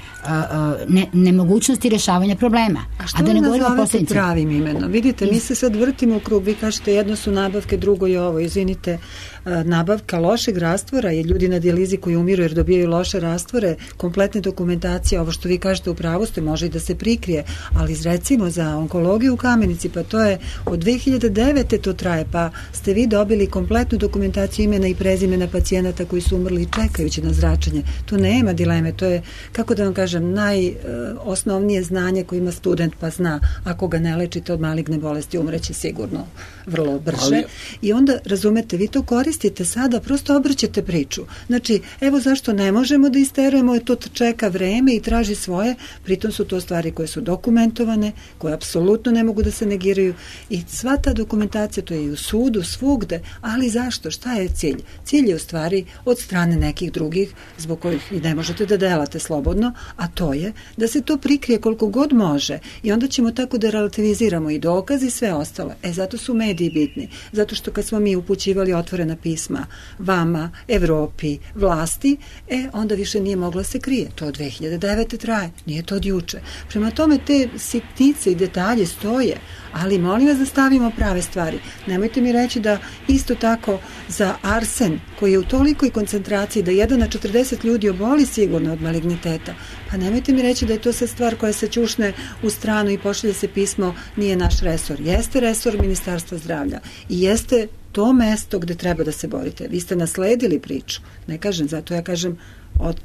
nemogućnosti rešavanja problema. A što vi nazovete pravim imenom? Vidite, mi se sad vrtimo u krug, vi kažete jedno su nabavke, drugo je ovo, izvinite, nabavka lošeg rastvora je ljudi na dijalizi koji umiru jer dobijaju loše rastvore, kompletne dokumentacije, ovo što vi kažete u pravu ste, može i da se prikrije, ali recimo za onkologiju u Kamenici, pa to je od 2009. to traje, pa ste vi dobili kompletnu dokumentaciju imena i prezimena pacijenata koji su umrli čekajući na zračenje. Tu nema dileme, to je, kako da vam kažem, najosnovnije znanje koje ima student, pa zna, ako ga ne lečite od maligne bolesti, umreće sigurno vrlo brže. I onda, razumete, vi to koristite sada, prosto obrćete priču. Znači, evo zašto ne možemo da isterujemo, to čeka vreme i traži svoje, pritom su to stvari koje su dokumentovane, koje apsolutno ne mogu da se negiraju i sva ta dokumentacija, to je i u sudu, svugde, ali zašto? Šta je cilj? Cilj je u stvari od strane nekih drugih, zbog kojih i ne možete da delate slobodno, a to je da se to prikrije koliko god može i onda ćemo tako da relativiziramo i dokaz i sve ostalo. Zato su mediji bitni. Zato što kad smo mi upućivali otvorena pisma vama, Evropi, vlasti, onda više nije mogla se krije. To od 2009. traje. Nije to od juče. Prema tome te sitnice i detalje stoje, ali molim vas da stavimo prave stvari. Nemojte mi reći da isto tako za arsen koji je u tolikoj koncentraciji da 1 na 40 ljudi oboli sigurno od maligniteta, pa nemojte mi reći da je to sad stvar koja se ćušne u stranu i pošalje se pismo, nije naš resor. Jeste resor Ministarstva zdravlja i jeste to mesto gde treba da se borite. Vi ste nasledili priču. Ne kažem, zato ja kažem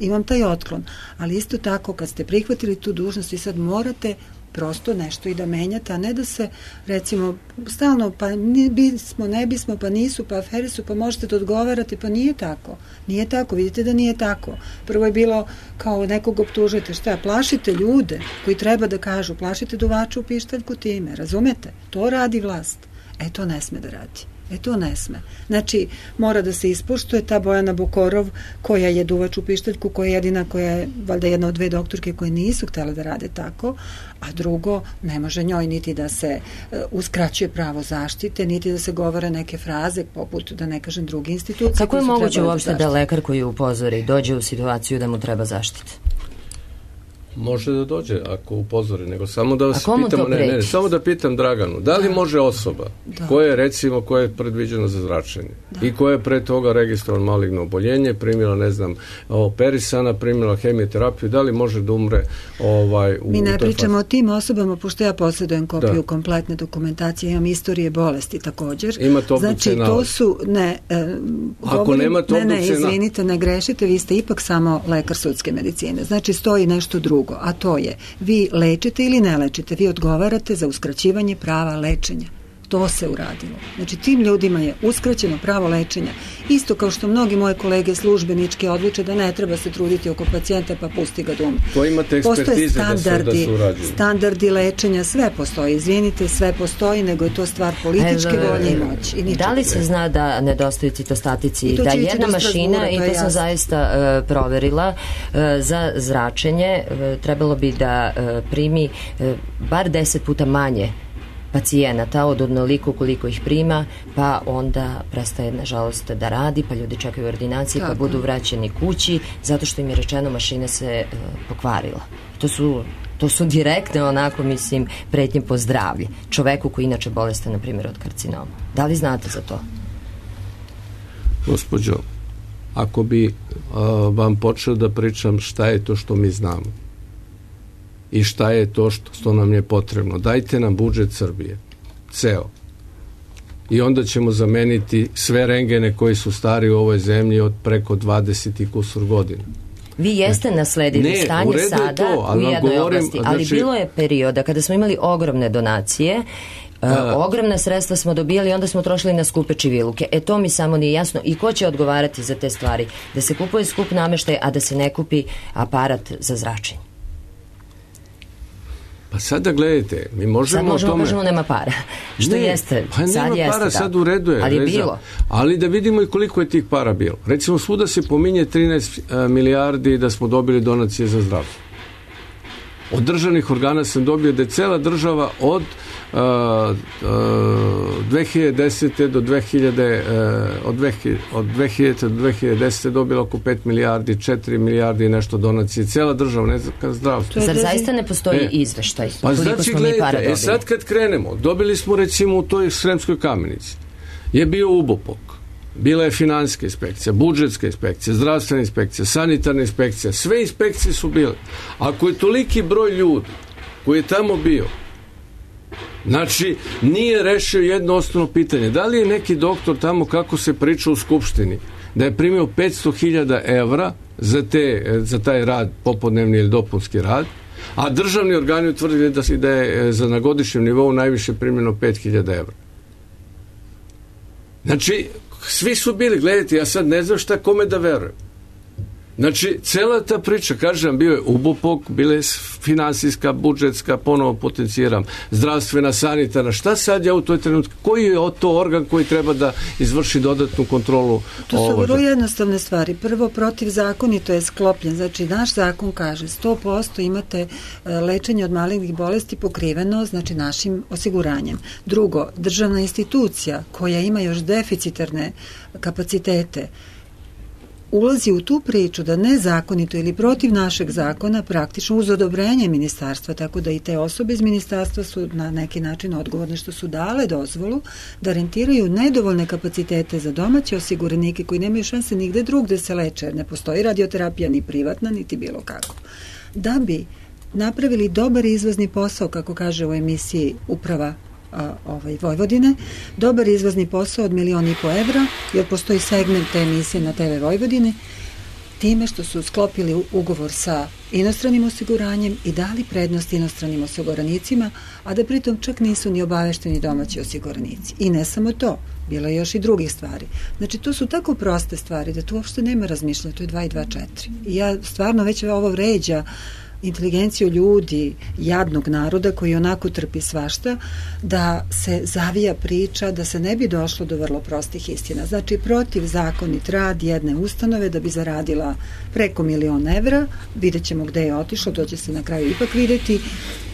imam taj otklon, ali isto tako kad ste prihvatili tu dužnost i sad morate prosto nešto i da menjate, a ne da se recimo stalno pa ne bismo, pa nisu, pa afere su, pa možete da odgovarate, pa nije tako. Nije tako, vidite da nije tako. Prvo je bilo kao nekog optužujete, šta, plašite ljude koji treba da kažu, plašite duvača u pištaljku time, razumete? To radi vlast. To ne sme da radi. To ne sme. Znači, mora da se ispoštuje ta Bojana Bokorov, koja je duvač u pištaljku, koja je jedina, koja je valjda jedna od 2 doktorke koje nisu htjele da rade tako, a drugo, ne može njoj niti da se uskraćuje pravo zaštite, niti da se govore neke fraze, poput, da ne kažem, druge institucije. Kako je moguće uopšte da lekar koji upozori dođe u situaciju da mu treba zaštite? Može da dođe ako upozori, nego samo da vas pitamo, samo da pitam Draganu, da li može osoba koja je recimo, koja je predviđena za zračenje i koja je pre toga registrovano maligno oboljenje, primila, ne znam, perisana, primila hemioterapiju, da li može da umre Mi ne pričamo o tim osobama, pošto ja posjedujem kopiju kompletne dokumentacije, imam istorije bolesti također. Ima to znači, to su, ako nema to izvinite, ne grešite, vi ste ipak samo lekar sudske medicine. Znači, stoji nešto drugo, a to je, vi lečite ili ne lečite, vi odgovarate za uskraćivanje prava lečenja. To se uradilo. Znači, tim ljudima je uskraćeno pravo lečenja. Isto kao što mnogi moje kolege službeničke odluče da ne treba se truditi oko pacijenta pa pusti ga da umre. To imate ekspertize da se urađuju. Standardi lečenja, sve postoji. Izvinite, sve postoji, nego je to stvar političke volje i moći. Da li se zna da nedostaju citostatici? Da jedna mašina, i to sam zaista proverila, za zračenje trebalo bi da primi bar 10 puta manje pacijenata od onoliko koliko ih prima, pa onda prestaje nažalost da radi, pa ljudi čekaju ordinaciji, pa budu vraćeni kući zato što im je rečeno mašina se pokvarila. To su direktne, onako mislim, pretnje po zdravlje čoveku koji inače bolestan, na primjer, od karcinoma. Da li znate za to? Gospođo, ako bi vam počeo da pričam šta je to što mi znamo i šta je to što nam je potrebno. Dajte nam budžet Srbije. Ceo. I onda ćemo zameniti sve rengene koji su stari u ovoj zemlji od preko 20 i kusur godina. Vi jeste nasledili stanje sada u jednoj oblasti, ali bilo je perioda kada smo imali ogromne donacije, ogromna sredstva smo dobijali i onda smo trošili na skupe čiviluke. To mi samo nije jasno i ko će odgovarati za te stvari. Da se kupuje skup nameštaj, a da se ne kupi aparat za zračenje. Pa sada gledajte, mi možemo kažemo nema para. Što jeste, sad jeste. Para, sad u redu je. Ali je bilo. Ali da vidimo i koliko je tih para bilo. Recimo, svuda se pominje 13 milijardi da smo dobili donacije za zdravstvo. Od državnih organa sam dobio da je cela država od 2010. do 2010. dobila oko 5 milijardi, 4 milijardi i nešto donacije. Cela država, ne znam, zdravstvo. Zar zaista ne postoji izveštaj? Pa znači, gledajte, sad kad krenemo, dobili smo recimo u toj Sremskoj Kamenici, je bio UBOPOK, bila je finansijska inspekcija, budžetska inspekcija, zdravstvena inspekcija, sanitarna inspekcija, sve inspekcije su bile. Ako je toliki broj ljudi koji je tamo bio, znači nije rešio jedno osnovno pitanje. Da li je neki doktor tamo, kako se priča u Skupštini, da je primio 500.000 evra za taj rad, popodnevni ili dopunski rad, a državni organi utvrdili da je na godišnjem nivou najviše primljeno 5.000 evra. Znači, svi su bili, gledajte, ja sad ne znam šta kome da verujem. Znači, cela ta priča, kažem, bio je UBOPOK, bila je finansijska, budžetska, ponovo potenciram, zdravstvena, sanitarna, šta sad ja u toj trenutku, koji je to organ koji treba da izvrši dodatnu kontrolu? To su vrlo jednostavne stvari. Prvo, protivzakonito je sklopljen, znači naš zakon kaže 100% imate lečenje od malignih bolesti pokriveno, znači našim osiguranjem. Drugo, državna institucija koja ima još deficitarne kapacitete ulazi u tu priču da nezakonito ili protiv našeg zakona praktično uz odobrenje ministarstva, tako da i te osobe iz ministarstva su na neki način odgovorne što su dale dozvolu da rentiraju nedovoljne kapacitete za domaće osiguranike koji nemaju šanse nigde drugde se leče. Ne postoji radioterapija ni privatna, niti bilo kako. Da bi napravili dobar izvozni posao, kako kaže u emisiji Uprava Vojvodine, dobar izvozni posao od 1,5 miliona evra, jer postoji segment te emisije na TV Vojvodine, time što su sklopili ugovor sa inostranim osiguranjem i dali prednost inostranim osiguranicima, a da pritom čak nisu ni obavešteni domaći osiguranici. I ne samo to, bilo je još i drugih stvari. Znači, to su tako proste stvari da tu uopšte nema razmišljanja, to je 2 i 2 4. I ja stvarno već ovo vređa inteligenciju ljudi, jadnog naroda koji onako trpi svašta, da se zavija priča, da se ne bi došlo do vrlo prostih istina. Znači, protivzakonit rad jedne ustanove da bi zaradila preko 1 milion evra, vidjet ćemo gde je otišlo, to će se na kraju ipak videti.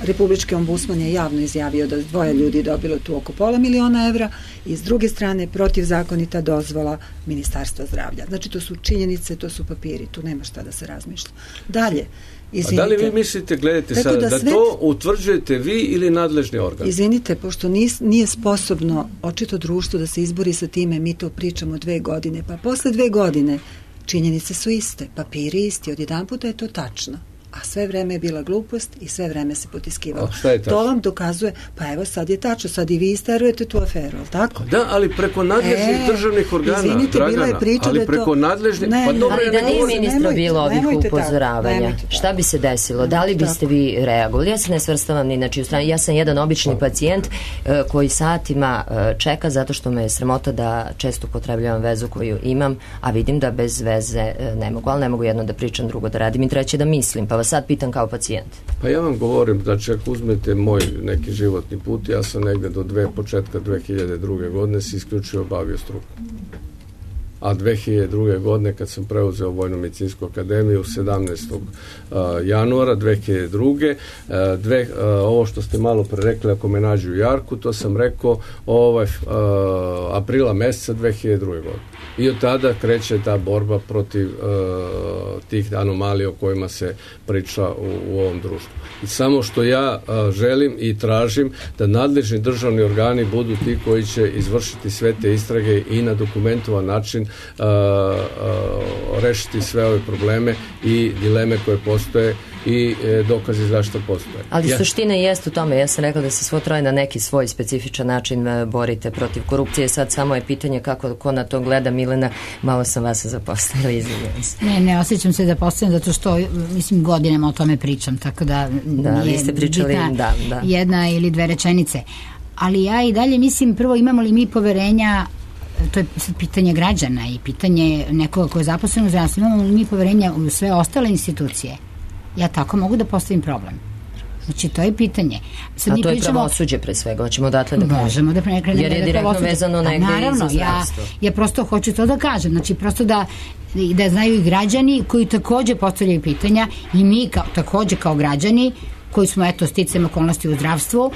Republički ombudsman je javno izjavio da 2 ljudi dobilo tu oko pola 1 miliona evra i s druge strane protivzakonita dozvola Ministarstva zdravlja. Znači, to su činjenice, to su papiri, tu nema šta da se razmišlja. Dalje, izvinite. A da li vi mislite, gledajte sada, da to utvrđujete vi ili nadležni organ? Izvinite, pošto nije sposobno očito društvo da se izbori sa time, mi to pričamo 2 godine, pa posle 2 godine činjenice su iste, papiri isti, odjedan puta je to tačno. A sve vreme je bila glupost i sve vreme se potiskivalo. To vam dokazuje, pa evo sad je tačno, sad i vi isterujete tu aferu, ali tako? Da, ali preko nadležnih državnih organa, izvinite, Dragana, bila je priča ali da preko to... nadležnih... Ali da nije ministra bilo ovih upozoravanja, šta bi se desilo? Da li biste vi reagovali? Ja se ne svrstavam ni na čiju stranu. Ja sam jedan obični pacijent koji satima čeka zato što me je sramota da često upotrebljavam vezu koju imam, a vidim da bez veze ne mogu, ali ne mogu jedno da pričam, drugo da radim i treće da mislim, pa vas sad pitam kao pacijent. Pa ja vam govorim, znači ako uzmete moj neki životni put, ja sam negde do početka 2002. godine se isključivo bavio strukom. A 2002. godine kad sam preuzeo Vojno-medicinsku akademiju 17. januara 2002. Ovo što ste malo pre rekli, ako me nađu u jarku, to sam rekao aprila meseca 2002. godine. I od tada kreće ta borba protiv tih anomalija o kojima se priča u ovom društvu. I samo što ja želim i tražim da nadležni državni organi budu ti koji će izvršiti sve te istrage i na dokumentovan način rešiti sve ove probleme i dileme koje postoje i dokazi zašto postoje. Ali suština jeste u tome, ja sam rekla da se svo troje na neki svoj specifičan način borite protiv korupcije, sad samo je pitanje kako ko na to gleda. Milena, malo sam vas zaposlila, izvinjam se. Ne osjećam se zaposlena zato što mislim godinama o tome pričam, tako da vi ste pričali, da. Jedna ili 2 rečenice. Ali ja i dalje mislim, prvo, imamo li mi poverenja, to je sad pitanje građana i pitanje nekoga ko je zaposlen u zdravstvu, imamo li mi poverenja u sve ostale institucije? Ja tako mogu da postavim problem. Znači, to je pitanje. Sad a to je pravosuđe pre svega, hoćemo odatle da krenemo. Možemo da krenemo. Jer je direktno vezano negde i za zdravstvo. Ja prosto hoću to da kažem. Znači, prosto da znaju i građani koji takođe postavljaju pitanja i mi takođe kao građani koji smo eto sticajem okolnosti u zdravstvu,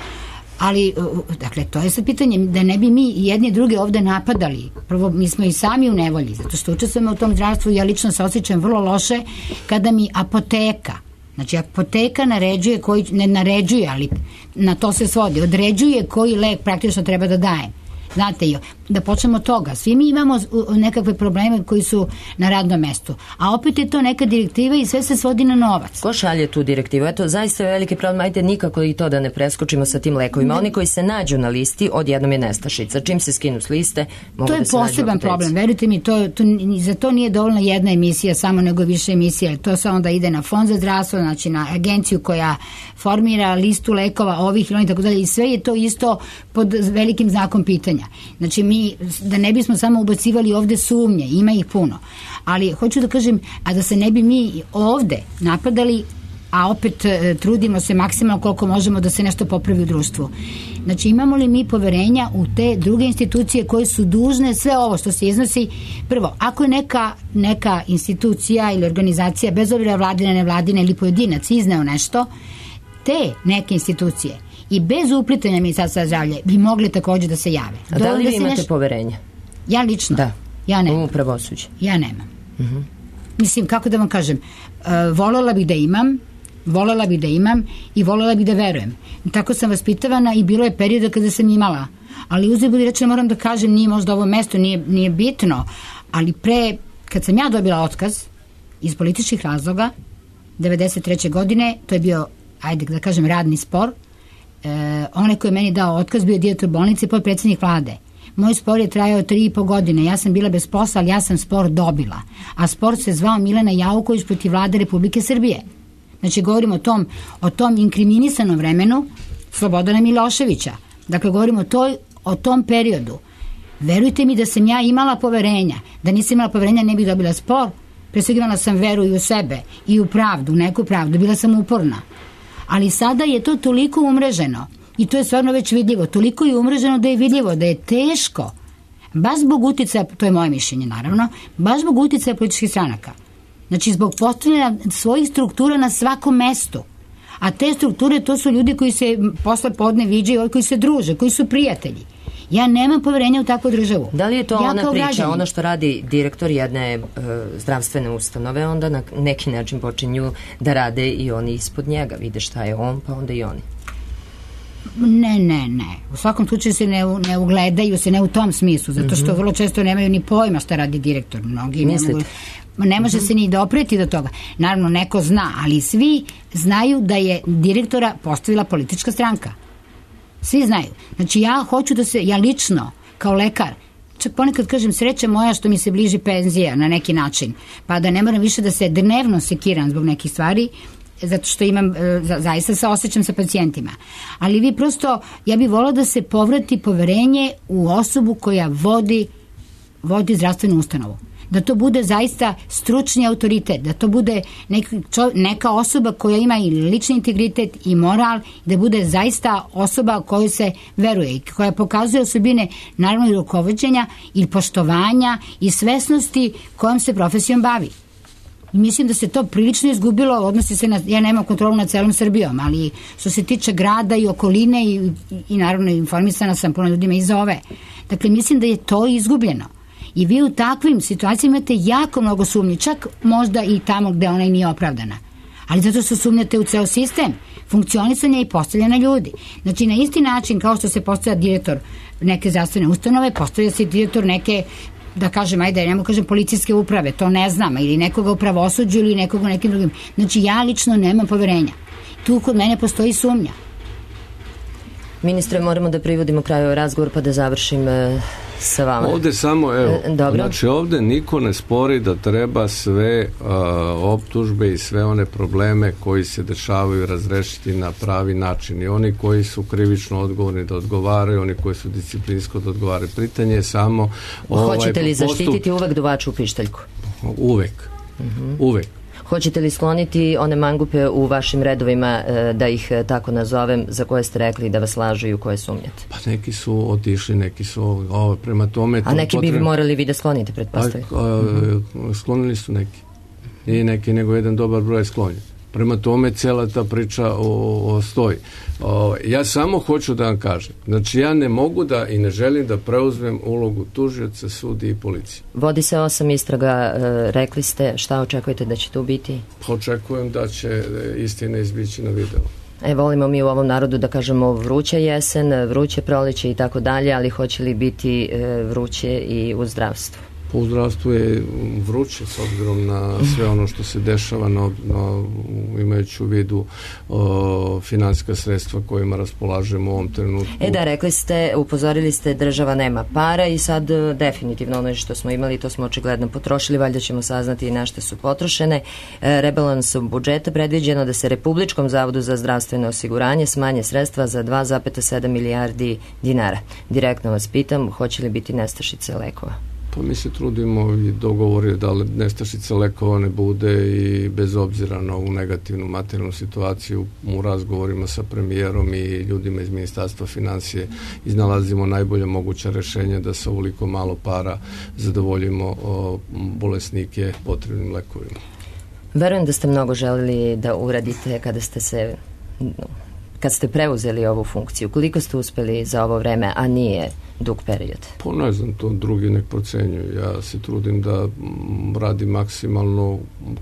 ali dakle to je sad pitanje da ne bi mi jedni druge ovde napadali. Prvo, mi smo i sami u nevolji zato što učestvujemo u tom zdravstvu i ja lično se osjećam vrlo loše kada mi apoteka, znači apoteka naređuje, ne naređuje, ali na to se svodi, određuje koji lek praktično treba da daje. Znate, da počnemo od toga. Svi mi imamo nekakve probleme koji su na radnom mestu. A opet je to neka direktiva i sve se svodi na novac. Ko šalje tu direktivu? Eto, zaista je veliki problem. Ajde nikako i to da ne preskočimo sa tim lekovima. Oni koji se nađu na listi, odjednom je nestašica. Čim se skinu s liste, mogu da se nađu. To je poseban problem. Verujte mi, za to nije dovoljna jedna emisija, samo nego više emisija. To se onda ide na Fond za zdravstvo, znači na agenciju koja formira listu lekova ovih ili tako dalje. I sve je to isto pod velikim znakom pitanja. Znači mi, da ne bismo samo ubacivali ovde sumnje, ima ih puno, ali hoću da kažem, a da se ne bi mi ovde napadali, a opet trudimo se maksimalno koliko možemo da se nešto popravi u društvu. Znači imamo li mi poverenja u te druge institucije koje su dužne sve ovo što se iznosi? Prvo, ako je neka institucija ili organizacija, bez obzira vladina, nevladina ili pojedinac izneo nešto, te neke institucije i bez uplitanja Ministarstva zdravlja bi mogli takođe da se jave. A da li vi imate poverenja? Ja lično? Da. Ja nemam. U pravosuđe? Ja nemam. Mislim, kako da vam kažem, volela bih da imam i volela bih da verujem. Tako sam vaspitavana i bilo je perioda kada sam imala. Ali uzet budi rečeno, moram da kažem, nije možda ovo mesto, nije bitno, ali kad sam ja dobila otkaz iz političkih razloga 93. godine, to je bio, ajde da kažem, radni spor, onaj koji je meni dao otkaz bio direktor bolnice i potpredsednik vlade. Moj spor je trajao 3,5 godine. Ja sam bila bez posla, ali ja sam spor dobila. A spor se zvao Milena Jauković protiv vlade Republike Srbije. Znači, govorimo o tom inkriminisanom vremenu Slobodana Miloševića. Dakle, govorimo o tom periodu. Verujte mi da sam ja imala poverenja. Da nisam imala poverenja, ne bih dobila spor. Pre svega imala sam veru i u sebe i u pravdu, neku pravdu. Bila sam uporna. Ali sada je to toliko umreženo i to je stvarno već vidljivo. Toliko je umreženo da je vidljivo, da je teško, baš zbog uticaja, to je moje mišljenje naravno, baš zbog uticaja političkih stranaka. Znači zbog postavljanja svojih struktura na svakom mestu. A te strukture, to su ljudi koji se posle podne viđaju, koji se druže, koji su prijatelji. Ja nemam poverenja u takvu državu. Da li je to ona priča, ono što radi direktor jedne zdravstvene ustanove, onda na neki način počinju da rade i oni ispod njega, vide šta je on, pa onda i oni? Ne. U svakom slučaju se ne ugledaju se, ne u tom smislu, zato što vrlo često nemaju ni pojma šta radi direktor. Mnogi ne može se ni dopreti do toga. Naravno, neko zna, ali svi znaju da je direktora postavila politička stranka. Svi znaju. Znači ja lično, kao lekar, čak ponekad kažem sreća moja što mi se bliži penzija na neki način, pa da ne moram više da se dnevno sekiram zbog nekih stvari, zato što imam, zaista se osjećam sa pacijentima. Ali vi prosto, ja bih volila da se povrati poverenje u osobu koja vodi zdravstvenu ustanovu. Da to bude zaista stručni autoritet, da to bude neka osoba koja ima i lični integritet i moral, da bude zaista osoba kojoj se veruje i koja pokazuje osobine naravno i rukovođenja i poštovanja i svesnosti kojom se profesijom bavi. I mislim da se to prilično izgubilo, odnosi se ja nemam kontrolu nad celom Srbijom, ali što se tiče grada i okoline i naravno informisana sam puno ljudima iz ove. Dakle, mislim da je to izgubljeno. I vi u takvim situacijama imate jako mnogo sumnji, čak možda i tamo gde ona i nije opravdana. Ali zato što sumnjate u ceo sistem funkcionisanja i postavljanja ljudi. Znači, na isti način kao što se postavlja direktor neke zdravstvene ustanove, postavlja se direktor neke, da kažem, policijske uprave, to ne znam, ili nekoga u pravosuđu ili nekoga u nekim drugim. Znači, ja lično nemam poverenja. Tu kod mene postoji sumnja. Ministre, moramo da privodimo kraju razgovor pa da završim sa vama. Ovde samo, znači ovde niko ne spori da treba sve optužbe i sve one probleme koji se dešavaju razrešiti na pravi način. I oni koji su krivično odgovorni da odgovaraju, oni koji su disciplinsko da odgovaraju. Pitanje je samo... Hoćete li zaštititi uvek duvaču u pištaljku? Uvek. Hoćete li skloniti one mangupe u vašim redovima, da ih tako nazovem, za koje ste rekli da vas lažu i u koje sumnjate? Pa neki su otišli, neki su prema tome... A neki bi morali vi da sklonite, pretpostavljam? Sklonili su neki. Nije neki, nego jedan dobar broj sklonjen. Prema tome cijela ta priča stoji. Ja samo hoću da vam kažem, znači ja ne mogu da i ne želim da preuzmem ulogu tužioca, sudije i policije. Vodi se 8 istraga, rekli ste, šta očekujete da će tu biti? Očekujem da će istina izbići na videu. Volimo mi u ovom narodu da kažemo vruća jesen, vruće proleće i tako dalje, ali hoće li biti vruće i u zdravstvu? U zdravstvu je vruće s obzirom na sve ono što se dešava, imajući u vidu finansijska sredstva kojima raspolažemo u ovom trenutku. Da, rekli ste, upozorili ste, država nema para i sad definitivno ono što smo imali, to smo očigledno potrošili, valjda ćemo saznati i na što su potrošene. Rebalansom budžeta predviđeno da se Republičkom zavodu za zdravstveno osiguranje smanje sredstva za 2,7 milijardi dinara. Direktno vas pitam, hoće li biti nestašice lekova? Pa mi se trudimo i dogovor je da nestašica lekova ne bude i bez obzira na ovu negativnu materijalnu situaciju u razgovorima sa premijerom i ljudima iz Ministarstva financije iznalazimo najbolje moguća rešenja da sa ovoliko malo para zadovoljimo bolesnike potrebnim lekovima. Verujem da ste mnogo želeli da uradite kad ste preuzeli ovu funkciju. Koliko ste uspeli za ovo vreme, a nije dug period? Pa ne znam, to drugi nek procenjuju. Ja se trudim da radim maksimalno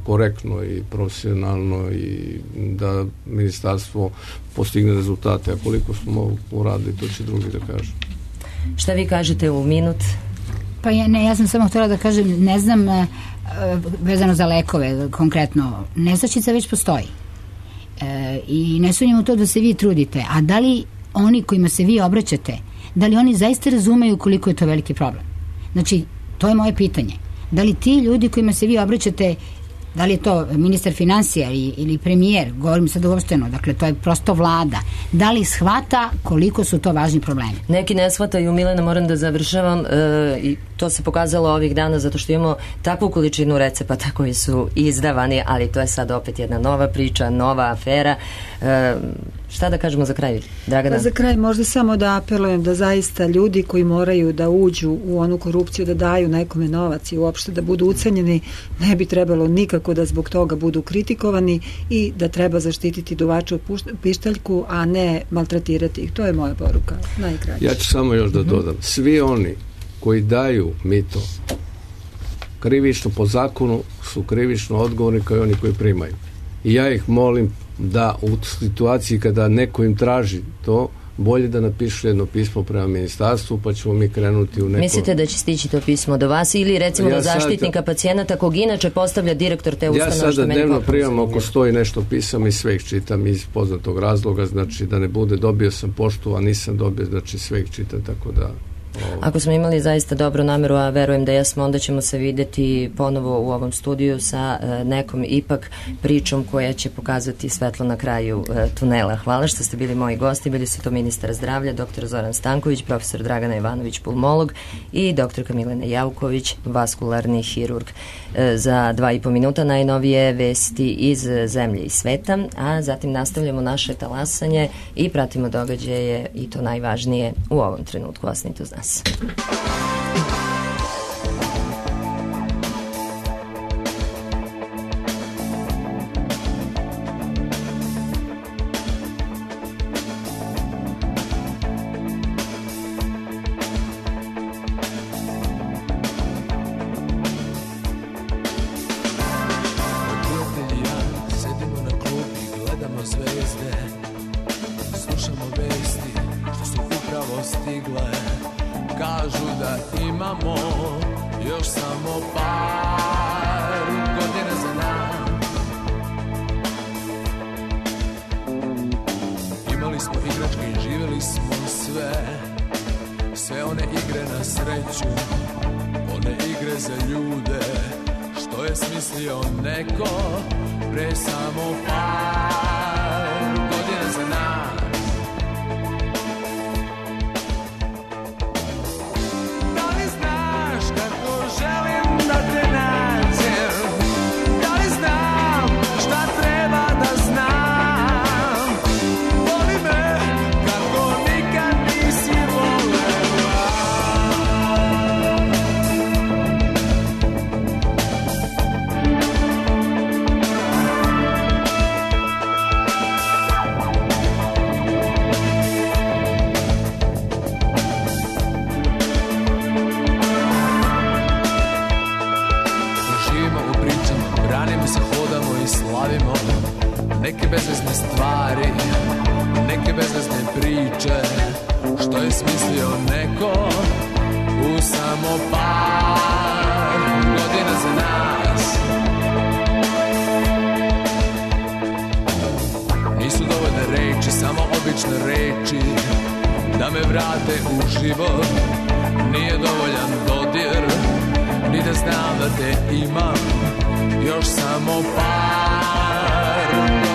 korektno i profesionalno i da ministarstvo postigne rezultate. A koliko smo uradili, to će drugi da kažu. Šta vi kažete u minut? Pa ja sam samo htjela da kažem, ne znam, vezano za lekove konkretno, nestašica već postoji. I ne sumnjam u to da se vi trudite, a da li oni kojima se vi obraćate, da li oni zaista razumeju koliko je to veliki problem? Znači, to je moje pitanje. Da li ti ljudi kojima se vi obraćate, da li je to ministar financija ili premijer, govorim sad uopšteno, dakle to je prosto vlada, da li shvata koliko su to važni problemi? Neki ne shvataju, Milena, moram da završavam, i to se pokazalo ovih dana zato što imamo takvu količinu recepata koji su izdavani, ali to je sad opet jedna nova priča, nova afera. Šta da kažemo za kraj, Dragana? Za kraj možda samo da apelujem da zaista ljudi koji moraju da uđu u onu korupciju, da daju nekome novac i uopšte da budu ucenjeni, ne bi trebalo nikako da zbog toga budu kritikovani i da treba zaštititi duvača u pištaljku, a ne maltretirati ih. To je moja poruka, najkraća. Ja ću samo još da dodam. Svi oni koji daju mito krivično po zakonu su krivično odgovorni kao i oni koji primaju. I ja ih molim da u situaciji kada neko im traži to, bolje da napišu jedno pismo prema ministarstvu, pa ćemo mi krenuti u neko... Mislite da će stići to pismo do vas ili recimo do zaštitnika pacijenata kog inače postavlja direktor te ustanove? Ja sada dnevno primam oko 100 i nešto pisama i sve ih čitam iz poznatog razloga, znači da ne bude dobio sam poštu, a nisam dobio, znači sve ih čitam, tako da... Ako smo imali zaista dobru nameru, a verujem da jesmo, onda ćemo se videti ponovo u ovom studiju sa nekom ipak pričom koja će pokazati svetlo na kraju tunela. Hvala što ste bili moji gosti. Bili su to ministar zdravlja, dr. Zoran Stanković, profesor Dragana Ivanović, pulmolog, i dr. Milena Jauković, vaskularni hirurg. Za 2,5 minuta najnovije vesti iz zemlje i sveta, a zatim nastavljamo naše talasanje i pratimo događaje i to najvažnije u ovom trenutku. Ostanite uz nas. Zabavljamo se, hodamo i slavimo neke bezvezne stvari, neke bezvezne priče, što je smislio neko u samo par godina za nas. Nisu dovoljne reči, samo obične reči da me vrate u život. Nije dovoljan dodir, ni da znam da te imam još samo par